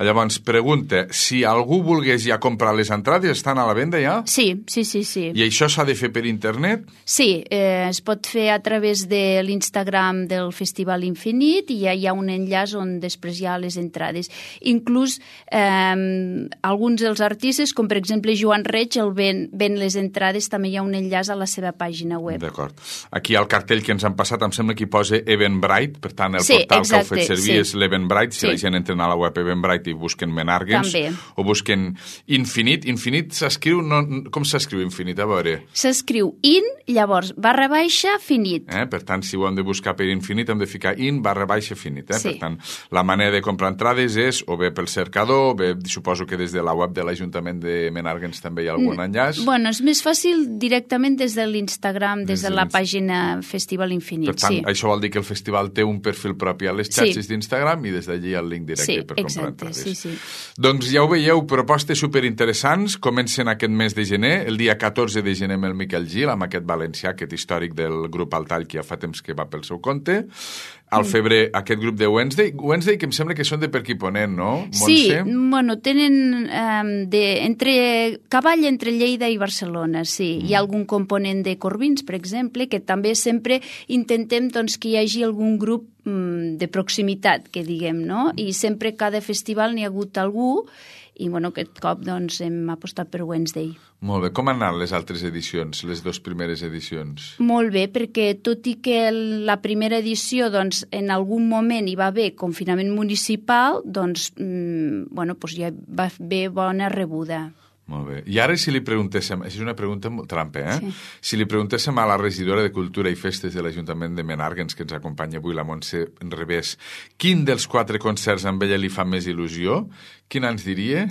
Llavors, pregunta, si algú volgués ja comprar les entrades, estan a la venda ja? Sí, sí, sí. sí. I això s'ha de fer per internet? Sí, eh, es pot fer a través de l'Instagram del Festival Infinit i ja hi ha un enllaç on després hi ha les entrades. Inclús eh, alguns dels artistes, com per exemple Joan Reig, el ven, ven les entrades, també hi ha un enllaç a la seva pàgina web. D'acord. Aquí al cartell que ens han passat em sembla que hi posa Eventbrite, per tant el sí, portal exacte, que heu fet servir sí. és l'Eventbrite, si sí. la gent entra a la web Eventbrite i busquen Menarguens, també. O busquen Infinit. Infinit s'escriu, no, com s'escriu Infinit? A veure. S'escriu in, llavors barra baixa, finit. Eh? Per tant, si ho hem de buscar per Infinit hem de ficar in barra baixa finit. Eh? Sí. Per tant, la manera de comprar entrades és o bé pel cercador, o bé suposo que des de la web de l'Ajuntament de Menarguens també hi ha algun enllaç. Bueno, és més fàcil directament des de l'Instagram, des, des de la pàgina Festival Infinit. Per tant, sí. això vol dir que el festival té un perfil propi a les xarxes sí. d'Instagram i des d'allí el link directe sí, per comprar exacte, entrades. Sí, sí. Doncs ja ho veieu, propostes superinteressants, comencen aquest mes de gener, el dia catorze de gener amb el Miquel Gil, amb aquest valencià, aquest històric del grup Al Tall, que ja fa temps que va pel seu compte. Al febrer, aquest grup de Wednesday. Wednesday, que em sembla que són de per aquí Ponent, no, Montse? Sí, bueno, tenen um, de, entre, cavall entre Lleida i Barcelona, sí. Mm. Hi ha algun component de Corbins, per exemple, que també sempre intentem doncs, que hi hagi algun grup um, de proximitat, que diguem, no? I sempre cada festival n'hi ha hagut algú i bueno, aquest cop doncs, hem apostat per Wednesday. Molt bé. Com han anat les altres edicions, les dues primeres edicions? Molt bé, perquè tot i que la primera edició doncs, en algun moment hi va haver confinament municipal, doncs, mmm, bueno, doncs ja va haver bona rebuda. Molt bé. I ara si li preguntéssim, és una pregunta molt trampa, eh? Sí. Si li preguntéssim a la regidora de Cultura i Festes de l'Ajuntament de Menarguens, que ens acompanya avui, la Montse Revés, quin dels quatre concerts amb ella li fa més il·lusió, quin ens diria?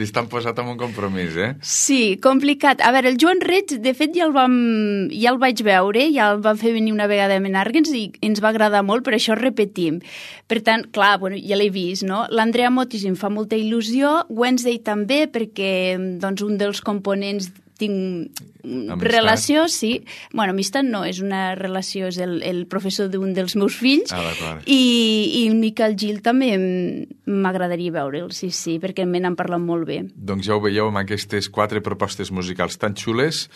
Estan posat en un compromís, eh? Sí, complicat. A veure, el Joan Reig, de fet, ja el, vam, ja el vaig veure, ja el vam fer venir una vegada a Menarguens i ens va agradar molt, per això repetim. Per tant, clar, bueno, ja l'he vist, no? L'Andrea Motis em fa molta il·lusió, Wednesday també, perquè doncs, un dels components tinc Amistat. Relació, sí. Bueno, amistat no, és una relació, és el, el professor d'un dels meus fills. Ah, d'acord. I, i el Miquel Gil també m'agradaria veure'l, sí, sí, perquè me n'han parlat molt bé. Doncs ja ho veieu amb aquestes quatre propostes musicals tan xules.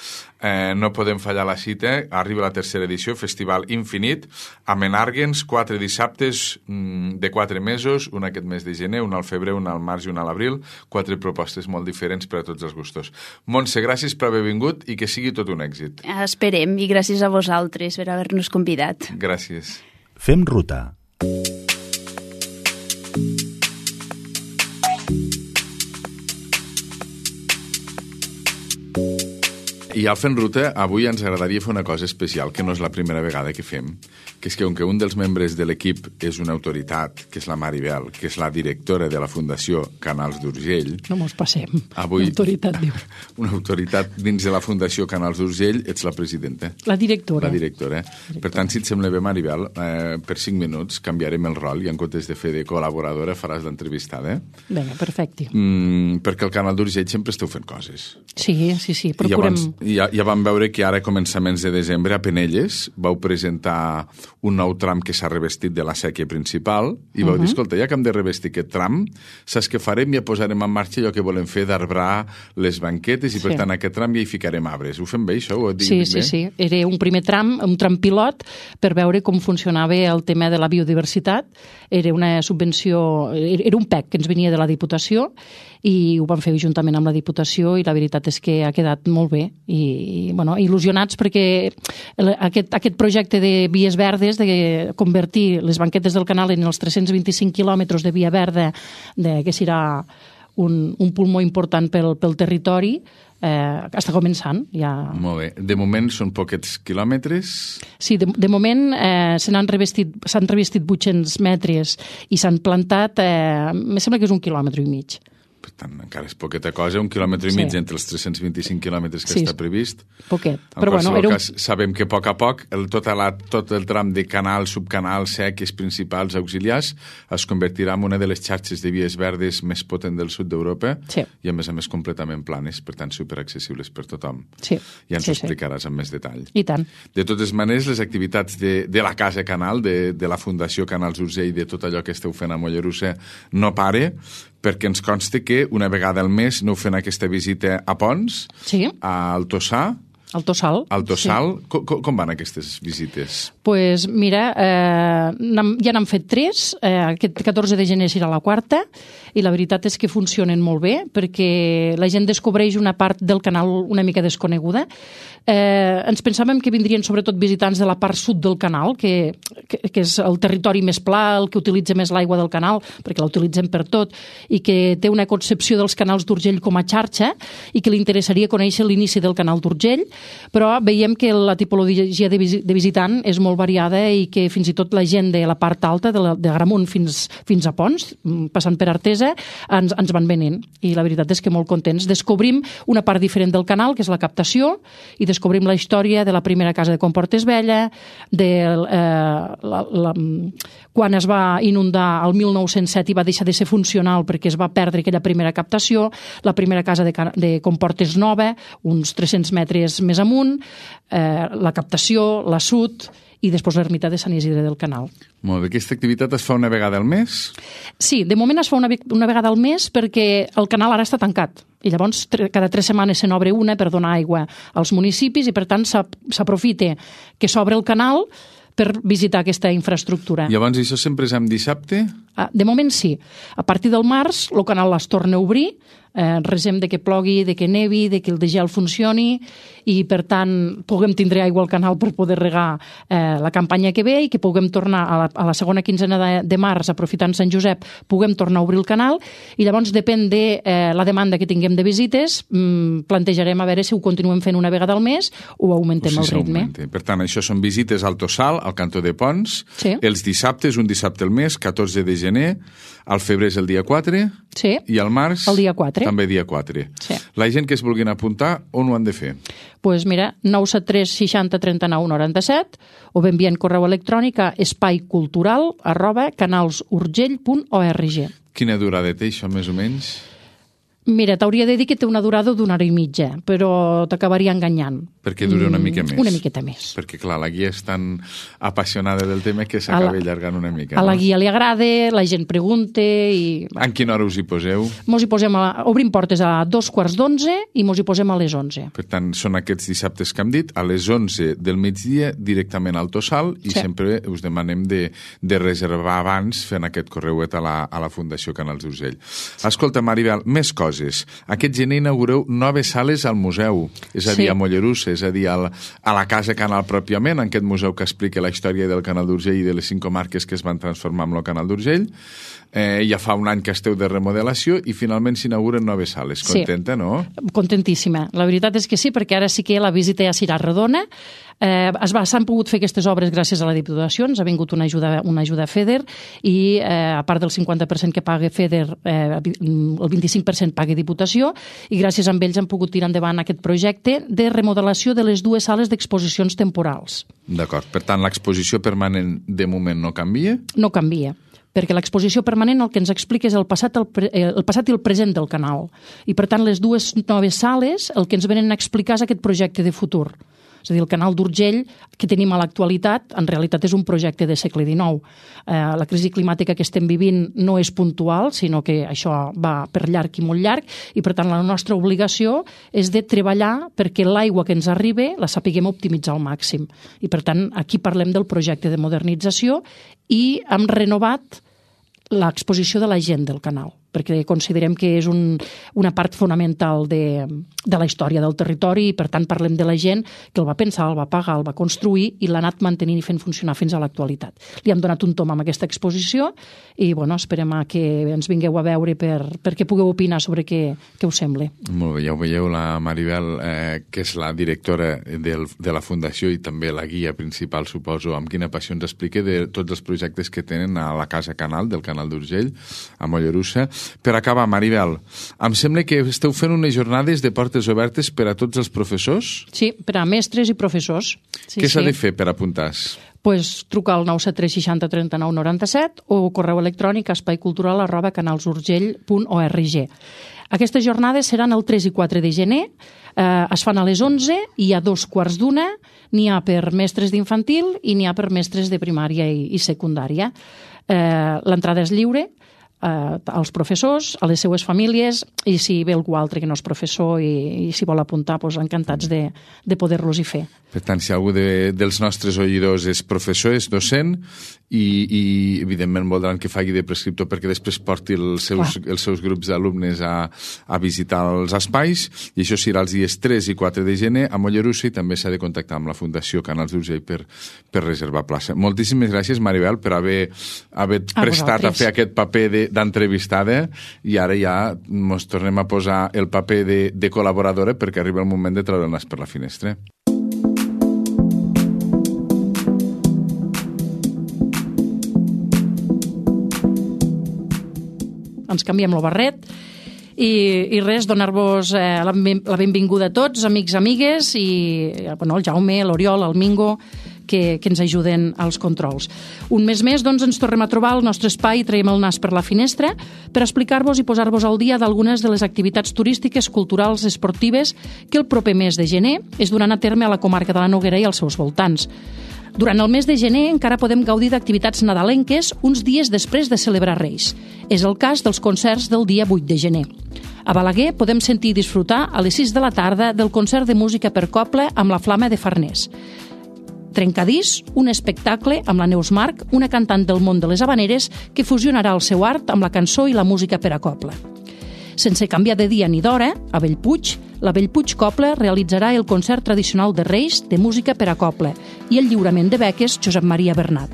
Eh, no podem fallar la cita. Arriba la tercera edició, Festival Infinit, a Menarguens, quatre dissabtes mm, de quatre mesos, un aquest mes de gener, un al febrer, un al març i un a l'abril. Quatre propostes molt diferents per a tots els gustos. Montse, gràcies per haver vingut i que sigui tot un èxit. Esperem, i gràcies a vosaltres per haver-nos convidat. Gràcies. Fem ruta. I al Fent Ruta, avui ens agradaria fer una cosa especial, que no és la primera vegada que fem, que és que, com que un dels membres de l'equip és una autoritat, que és la Maribel, que és la directora de la Fundació Canals d'Urgell... No mos passem. Avui, una autoritat, diu. Una autoritat dins de la Fundació Canals d'Urgell, ets la presidenta. La directora. La directora. directora. Per tant, si et sembla bé, Maribel, eh, per cinc minuts canviarem el rol i en comptes de fer de col·laboradora faràs l'entrevistada. Vinga, perfecte. Mm, perquè al Canal d'Urgell sempre esteu fent coses. Sí, sí, sí, procurem... I ja, ja vam veure que ara, a començaments de desembre, a Penelles, vau presentar un nou tram que s'ha revestit de la sèquia principal i vau uh -huh. dir, escolta, ja que hem de revestir aquest tram, saps què farem? Ja posarem en marxa allò que volem fer d'arbrar les banquetes i, per sí. tant, aquest tram ja hi ficarem arbres. Ho fem bé, això? Ho sí, sí, bé? sí. Era un primer tram, un tram pilot, per veure com funcionava el tema de la biodiversitat. Era una subvenció, era un P E C que ens venia de la Diputació i ho vam fer juntament amb la Diputació i la veritat és que ha quedat molt bé i, bueno, il·lusionats perquè aquest, aquest projecte de vies verdes, de convertir les banquetes del canal en els tres-cents vint-i-cinc quilòmetres de via verda, de, que serà un, un pulmó important pel, pel territori, eh, està començant. Ja... Molt bé. De moment són poquets quilòmetres? Sí, de, de moment eh, se n'han revestit, s'han revestit vuit-cents metres i s'han plantat, eh, em sembla que és un quilòmetre i mig. Per tant, encara és poqueta cosa, un quilòmetre i mig sí. entre els tres-cents vint-i-cinc quilòmetres que sí, està previst. Poquet. En però qualsevol bueno, era un... cas, sabem que a poc a poc el, tot, la, tot el tram de canal, subcanal, sèquies principals, auxiliars, es convertirà en una de les xarxes de vies verdes més potent del sud d'Europa sí. i, a més a més, completament planes, per tant, superaccessibles per tothom. Sí. Ja ens sí, ho explicaràs sí. amb més detall. I tant. De totes maneres, les activitats de, de la Casa Canal, de, de la Fundació Canals d'Urgell, de tot allò que esteu fent a Mollerussa, no pare, perquè ens consta que una vegada al mes aneu fent aquesta visita a Pons, sí. al Tossal. Al Tossal. Al Tossal. Sí. Com, com van aquestes visites? Doncs pues mira, eh, ja n'han fet tres, eh, aquest catorze de gener serà la quarta, i la veritat és que funcionen molt bé, perquè la gent descobreix una part del canal una mica desconeguda. Eh, ens pensàvem que vindrien sobretot visitants de la part sud del canal, que, que, que és el territori més pla, el que utilitza més l'aigua del canal, perquè la utilitzem per tot, i que té una concepció dels canals d'Urgell com a xarxa, i que li interessaria conèixer l'inici del canal d'Urgell, però veiem que la tipologia de, visi de visitant és molt variada i que fins i tot la gent de la part alta, de, la, de Gramunt fins, fins a Pons, passant per Artesa, ens, ens van venent. I la veritat és que molt contents. Descobrim una part diferent del canal, que és la captació, i descobrim la història de la primera casa de Comportes Vella, de eh, la, la, quan es va inundar el mil nou-cents set i va deixar de ser funcional perquè es va perdre aquella primera captació, la primera casa de, de Comportes Nova, uns tres-cents metres més amunt, eh, la captació, la sud i després l'ermita de Sant Isidre del Canal. Molt bé. Aquesta activitat es fa una vegada al mes? Sí, de moment es fa una, una vegada al mes perquè el canal ara està tancat. I llavors cada tres setmanes se n'obre una per donar aigua als municipis i per tant s'aprofita que s'obre el canal per visitar aquesta infraestructura. Llavors això sempre és en dissabte? De moment sí. A partir del març el canal es torna a obrir, eh, resem de que plogui, de que nevi, de que el de gel funcioni i per tant puguem tindre aigua al canal per poder regar eh, la campanya que ve i que puguem tornar a la, a la segona quinzena de, de març, aprofitant Sant Josep, puguem tornar a obrir el canal i llavors depèn de eh, la demanda que tinguem de visites, mmm, plantejarem a veure si ho continuem fent una vegada al mes o augmentem o si el ritme. Augmente. Per tant, això són visites al Tossal, al Cantó de Pons, sí. Els dissabtes, un dissabte al mes, catorze de gener, al febrer és el dia quatre sí. i al març el dia quatre. també dia quatre. Sí. La gent que es vulguin apuntar, on ho han de fer? Doncs pues mira, nou set tres seixanta trenta nou noranta set o ben enviant correu electrònic a espaicultural arroba canalsurgell punt org. Quina durada té això, més o menys? Mira, t'hauria de dir que té una durada d'una hora i mitja, però t'acabaria enganyant. Perquè dura una mica més. Una miqueta més. Perquè, clar, la guia és tan apassionada del tema que s'acaba allargant una mica. A no? la guia li agrada, la gent pregunta i... En quina hora us hi poseu? Mos hi posem a... Obrim portes a dos quarts d'onze i mos hi posem a les onze. Per tant, són aquests dissabtes que hem dit, a les onze del migdia, directament al Tossal, i sí. sempre us demanem de, de reservar abans fent aquest correuet a la, a la Fundació Canals d'Urgell. Escolta, Maribel, més coses. coses. Aquest gener inaugureu noves sales al museu, és a dir, Sí. a Mollerussa, és a dir, al, a la Casa Canal pròpiament, en aquest museu que explica la història del Canal d'Urgell i de les cinc comarques que es van transformar en el Canal d'Urgell. Eh, ja fa un any que esteu de remodelació i finalment s'inauguren noves sales. Contenta, Sí. no? Contentíssima. La veritat és que sí, perquè ara sí que la visita ja serà redona. Eh, es va, s'han pogut fer aquestes obres gràcies a la Diputació, ens ha vingut una ajuda, una ajuda a FEDER i eh, a part del cinquanta per cent que paga FEDER, eh, el vint-i-cinc per cent paga Diputació i gràcies a ells han pogut tirar endavant aquest projecte de remodelació de les dues sales d'exposicions temporals. D'acord. Per tant, l'exposició permanent de moment no canvia? No canvia, perquè l'exposició permanent el que ens explica és el passat, el, pre, el passat i el present del canal. I, per tant, les dues noves sales el que ens venen a explicar és aquest projecte de futur. És a dir, el canal d'Urgell que tenim a l'actualitat en realitat és un projecte de segle dinou. Eh, la crisi climàtica que estem vivint no és puntual, sinó que això va per llarg i molt llarg i, per tant, la nostra obligació és de treballar perquè l'aigua que ens arriba la sapiguem optimitzar al màxim. I, per tant, aquí parlem del projecte de modernització i hem renovat l'exposició de la gent del canal, perquè considerem que és un, una part fonamental de, de la història del territori i, per tant, parlem de la gent que el va pensar, el va pagar, el va construir i l'ha anat mantenint i fent funcionar fins a l'actualitat. Li hem donat un tom amb aquesta exposició i, bueno, esperem a que ens vingueu a veure per, perquè pugueu opinar sobre què, què us sembla. Molt bé, ja ho veieu, la Maribel, eh, que és la directora del, de la Fundació i també la guia principal, suposo, amb quina passió ens explica de tots els projectes que tenen a la Casa Canal, del Canal d'Urgell, a Mollerussa. Per acabar, Maribel, em sembla que esteu fent unes jornades de portes obertes per a tots els professors? Sí, per a mestres i professors. Sí, Què s'ha sí. de fer per apuntar-se? Pues, truca al nou set tres seixanta trenta-nou noranta-set o correu electrònic a espaicultural arroba canalsurgell punt org. Aquestes jornades seran el tres i quatre de gener, eh, es fan a les onze i a dos quarts d'una, n'hi ha per mestres d'infantil i n'hi ha per mestres de primària i, i secundària. Eh, L'entrada és lliure, eh, als professors, a les seues famílies i si ve algú altre que no és professor i, i si vol apuntar, doncs encantats de, de poder-los-hi fer. Per tant, si algú de, dels nostres oïdors és professor, és docent i, i evidentment voldran que faci de prescriptor perquè després porti els seus, els seus grups d'alumnes a, a visitar els espais i això serà els dies tres i quatre de gener a Mollerussa i també s'ha de contactar amb la Fundació Canals d'Urgell per, per reservar plaça. Moltíssimes gràcies, Maribel, per haver, haver A prestat a vosaltres. fer aquest paper de, d'entrevistada i ara ja ens tornem a posar el paper de, de col·laboradora perquè arriba el moment de treure el nas per la finestra. Ens canviem el barret i, i res, donar-vos eh, la, ben- la benvinguda a tots, amics, amigues i eh, bueno, el Jaume, l'Oriol, el Mingo que, que ens ajuden als controls. Un mes més doncs, ens tornem a trobar al nostre espai i traiem el nas per la finestra per explicar-vos i posar-vos al dia d'algunes de les activitats turístiques, culturals, esportives que el proper mes de gener es duran a terme a la comarca de la Noguera i als seus voltants. Durant el mes de gener encara podem gaudir d'activitats nadalenques uns dies després de celebrar Reis. És el cas dels concerts del dia vuit de gener. A Balaguer podem sentir i disfrutar a les sis de la tarda del concert de música per coble amb la Flama de Farners. Trencadís, un espectacle amb la Neus Marc, una cantant del món de les habaneres que fusionarà el seu art amb la cançó i la música per a coble. Sense canviar de dia ni d'hora, a Bellpuig, la Bellpuig Coble realitzarà el concert tradicional de Reis de música per a coble i el lliurament de beques Josep Maria Bernat.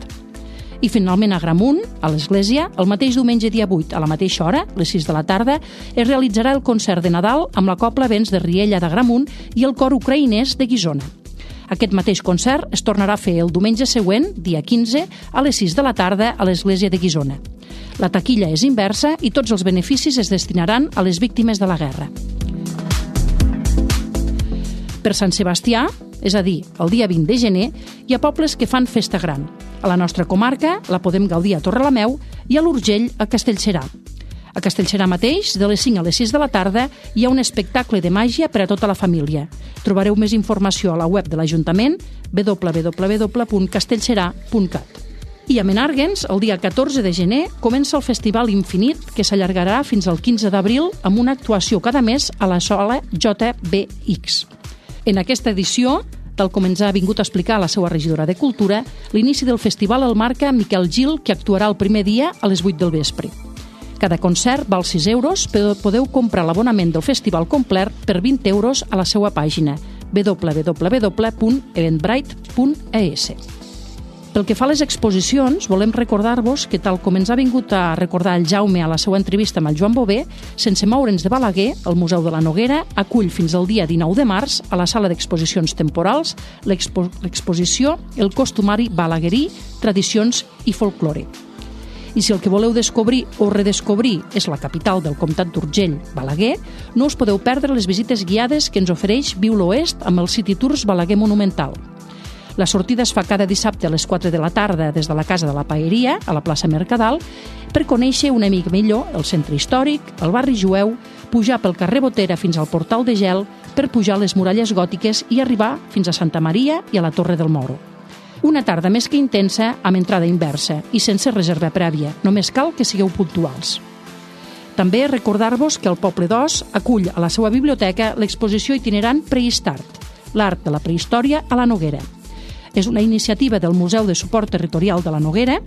I finalment a Gramunt, a l'església, el mateix diumenge dia vuit, a la mateixa hora, les sis de la tarda, es realitzarà el concert de Nadal amb la Cobla Vents de Riella de Gramunt i el cor ucraïnès de Guissona. Aquest mateix concert es tornarà a fer el diumenge següent, dia quinze, a les sis de la tarda a l'església de Guissona. La taquilla és inversa i tots els beneficis es destinaran a les víctimes de la guerra. Per Sant Sebastià, és a dir, el dia vint de gener, hi ha pobles que fan festa gran. A la nostra comarca la podem gaudir a Torrelameu i a l'Urgell a Castellserà. A Castellserà mateix, de les cinc a les sis de la tarda, hi ha un espectacle de màgia per a tota la família. Trobareu més informació a la web de l'Ajuntament w w w punt castellserà punt cat. I a Menàrguens, el dia catorze de gener, comença el Festival Infinit, que s'allargarà fins al quinze d'abril amb una actuació cada mes a la sala J B X. En aquesta edició, tal com ens ha vingut a explicar la seva regidora de Cultura, l'inici del festival el marca Miquel Gil, que actuarà el primer dia a les vuit del vespre. Cada concert val sis euros, però podeu comprar l'abonament del festival complet per vint euros a la seva pàgina w w w punt eventbrite punt e s. Pel que fa a les exposicions, volem recordar-vos que, tal com ens ha vingut a recordar el Jaume a la seva entrevista amb el Joan Bové, sense moure'ns de Balaguer, el Museu de la Noguera acull fins al dia dinou de març a la sala d'exposicions temporals l'expo l'exposició El costumari balaguerí, tradicions i folklore. I si el que voleu descobrir o redescobrir és la capital del comtat d'Urgell, Balaguer, no us podeu perdre les visites guiades que ens ofereix Viu l'Oest amb el City Tours Balaguer Monumental. La sortida es fa cada dissabte a les quatre de la tarda des de la Casa de la Paeria, a la plaça Mercadal, per conèixer una mica millor el centre històric, el barri jueu, pujar pel carrer Botera fins al Portal de Gel, per pujar les muralles gòtiques i arribar fins a Santa Maria i a la Torre del Moro. Una tarda més que intensa, amb entrada inversa i sense reserva prèvia. Només cal que sigueu puntuals. També recordar-vos que el Poble d'Os acull a la seva biblioteca l'exposició itinerant Prehistart, l'art de la prehistòria a la Noguera. És una iniciativa del Museu de Suport Territorial de la Noguera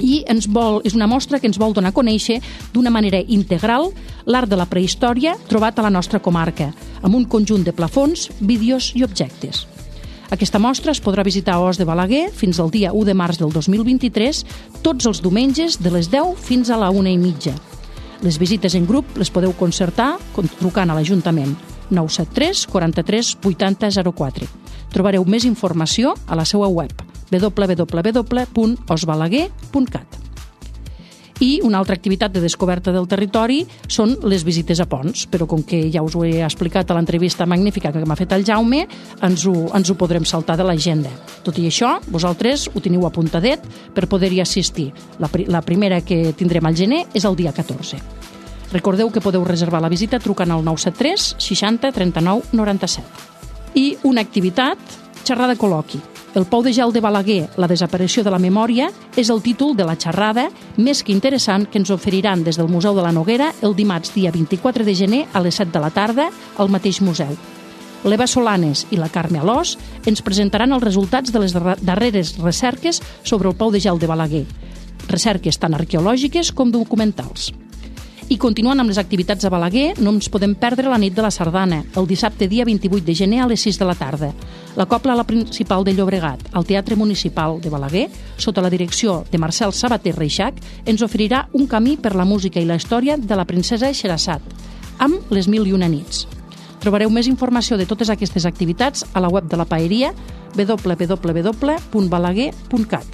i ens vol, és una mostra que ens vol donar a conèixer d'una manera integral l'art de la prehistòria trobat a la nostra comarca, amb un conjunt de plafons, vídeos i objectes. Aquesta mostra es podrà visitar a Os de Balaguer fins al dia u de març del dos mil vint-i-tres, tots els diumenges de les deu fins a la una i mitja. Les visites en grup les podeu concertar trucant a l'Ajuntament nou set tres quaranta-tres vuitanta zero quatre. Trobareu més informació a la seva web w w w punt osbalaguer punt cat. I una altra activitat de descoberta del territori són les visites a ponts, però com que ja us ho he explicat a l'entrevista magnífica que m'ha fet el Jaume, ens ho, ens ho podrem saltar de l'agenda. Tot i això, vosaltres ho teniu apuntadet per poder-hi assistir. La, la primera que tindrem al gener és el dia catorze. Recordeu que podeu reservar la visita trucant al nou set tres seixanta trenta-nou noranta-set. I una activitat, xerrada col·loqui. El Pou de Gel de Balaguer, la desaparició de la memòria, és el títol de la xerrada més que interessant que ens oferiran des del Museu de la Noguera el dimarts dia vint-i-quatre de gener a les set de la tarda al mateix museu. L'Eva Solanes i la Carme Alós ens presentaran els resultats de les darreres recerques sobre el Pou de Gel de Balaguer, recerques tant arqueològiques com documentals. I continuant amb les activitats a Balaguer, no ens podem perdre la nit de la sardana, el dissabte dia vint-i-vuit de gener a les sis de la tarda. La Cobla la Principal de Llobregat, al Teatre Municipal de Balaguer, sota la direcció de Marcel Sabater Reixac, ens oferirà un camí per la música i la història de la princesa Xerassat, amb les mil i una nits. Trobareu més informació de totes aquestes activitats a la web de la Paeria w w w punt balaguer punt cat.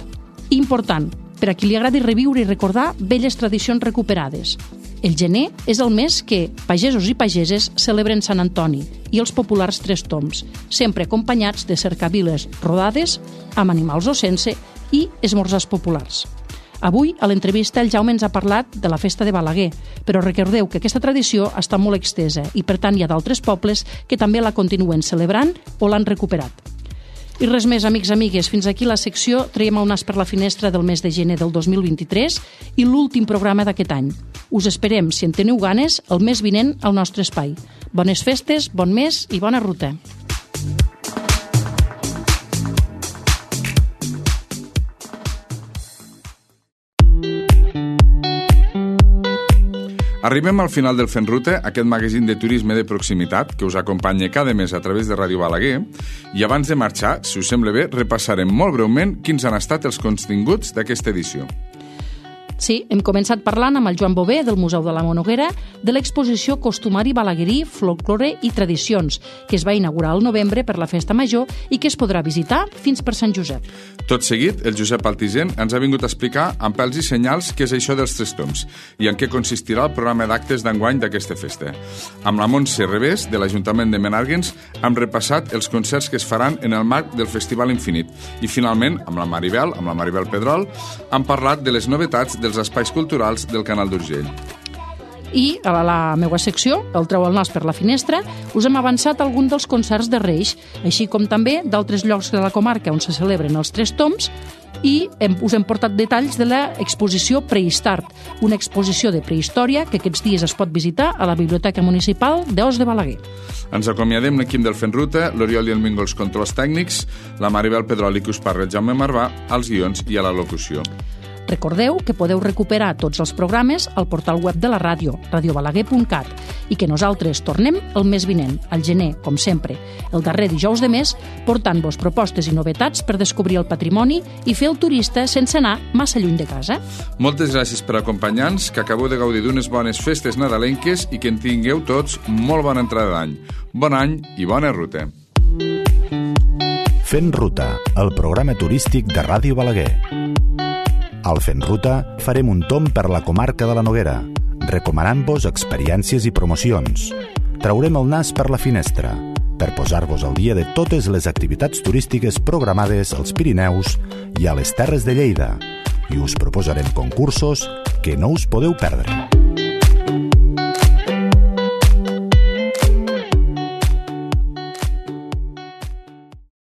Important, per a qui li agradi reviure i recordar velles tradicions recuperades. El gener és el mes que pagesos i pageses celebren Sant Antoni i els populars Tres Tombs, sempre acompanyats de cercaviles rodades, amb animals o sense, i esmorzars populars. Avui, a l'entrevista, el Jaume ens ha parlat de la festa de Balaguer, però recordeu que aquesta tradició està molt extesa i, per tant, hi ha d'altres pobles que també la continuen celebrant o l'han recuperat. I res més, amics, amigues, fins aquí la secció Traiem el nas per la finestra del mes de gener del dos mil vint-i-tres i l'últim programa d'aquest any. Us esperem, si en teniu ganes, el mes vinent al nostre espai. Bones festes, bon mes i bona ruta. Arribem al final del Fent Ruta, aquest magazín de turisme de proximitat que us acompanya cada mes a través de Ràdio Balaguer, i abans de marxar, si us sembla bé, repassarem molt breument quins han estat els continguts d'aquesta edició. Sí, hem començat parlant amb el Joan Bové del Museu de la Noguera de l'exposició Costumari Balaguerí, Folklore i Tradicions, que es va inaugurar al novembre per la Festa Major i que es podrà visitar fins per Sant Josep. Tot seguit, el Josep Altisent ens ha vingut a explicar amb pèls i senyals què és això dels Tres Tombs i en què consistirà el programa d'actes d'enguany d'aquesta festa. Amb la Montse Revés, de l'Ajuntament de Menàrguens, hem repassat els concerts que es faran en el marc del Festival Infinit. I finalment, amb la Maribel, amb la Maribel Pedrol, hem parlat de les novetats dels espais culturals del Canal d'Urgell. I a la, la meva secció, el Treu el nas per la finestra, us hem avançat algun dels concerts de Reis, així com també d'altres llocs de la comarca on se celebren els Tres Tombs, i hem, us hem portat detalls de l'exposició Prehistart, una exposició de prehistòria que aquests dies es pot visitar a la Biblioteca Municipal d'Os de Balaguer. Ens acomiadem l'equip del Fent Ruta, l'Oriol i el Mingo els controls tècnics, la Maribel Pedrol i que us parla el Jaume Marvà, als guions i a la locució. Recordeu que podeu recuperar tots els programes al portal web de la ràdio, radio balaguer punt cat, i que nosaltres tornem el mes vinent, al gener, com sempre, el darrer dijous de mes, portant-vos propostes i novetats per descobrir el patrimoni i fer el turista sense anar massa lluny de casa. Moltes gràcies per acompanyar-nos, que acabeu de gaudir d'unes bones festes nadalenques i que en tingueu tots molt bona entrada d'any. Bon any i bona ruta. Fent Ruta, el programa turístic de Ràdio Balaguer. Al Fent Ruta farem un tomb per la comarca de la Noguera, recomanant-vos experiències i promocions. Traurem el nas per la finestra, per posar-vos al dia de totes les activitats turístiques programades als Pirineus i a les Terres de Lleida, i us proposarem concursos que no us podeu perdre.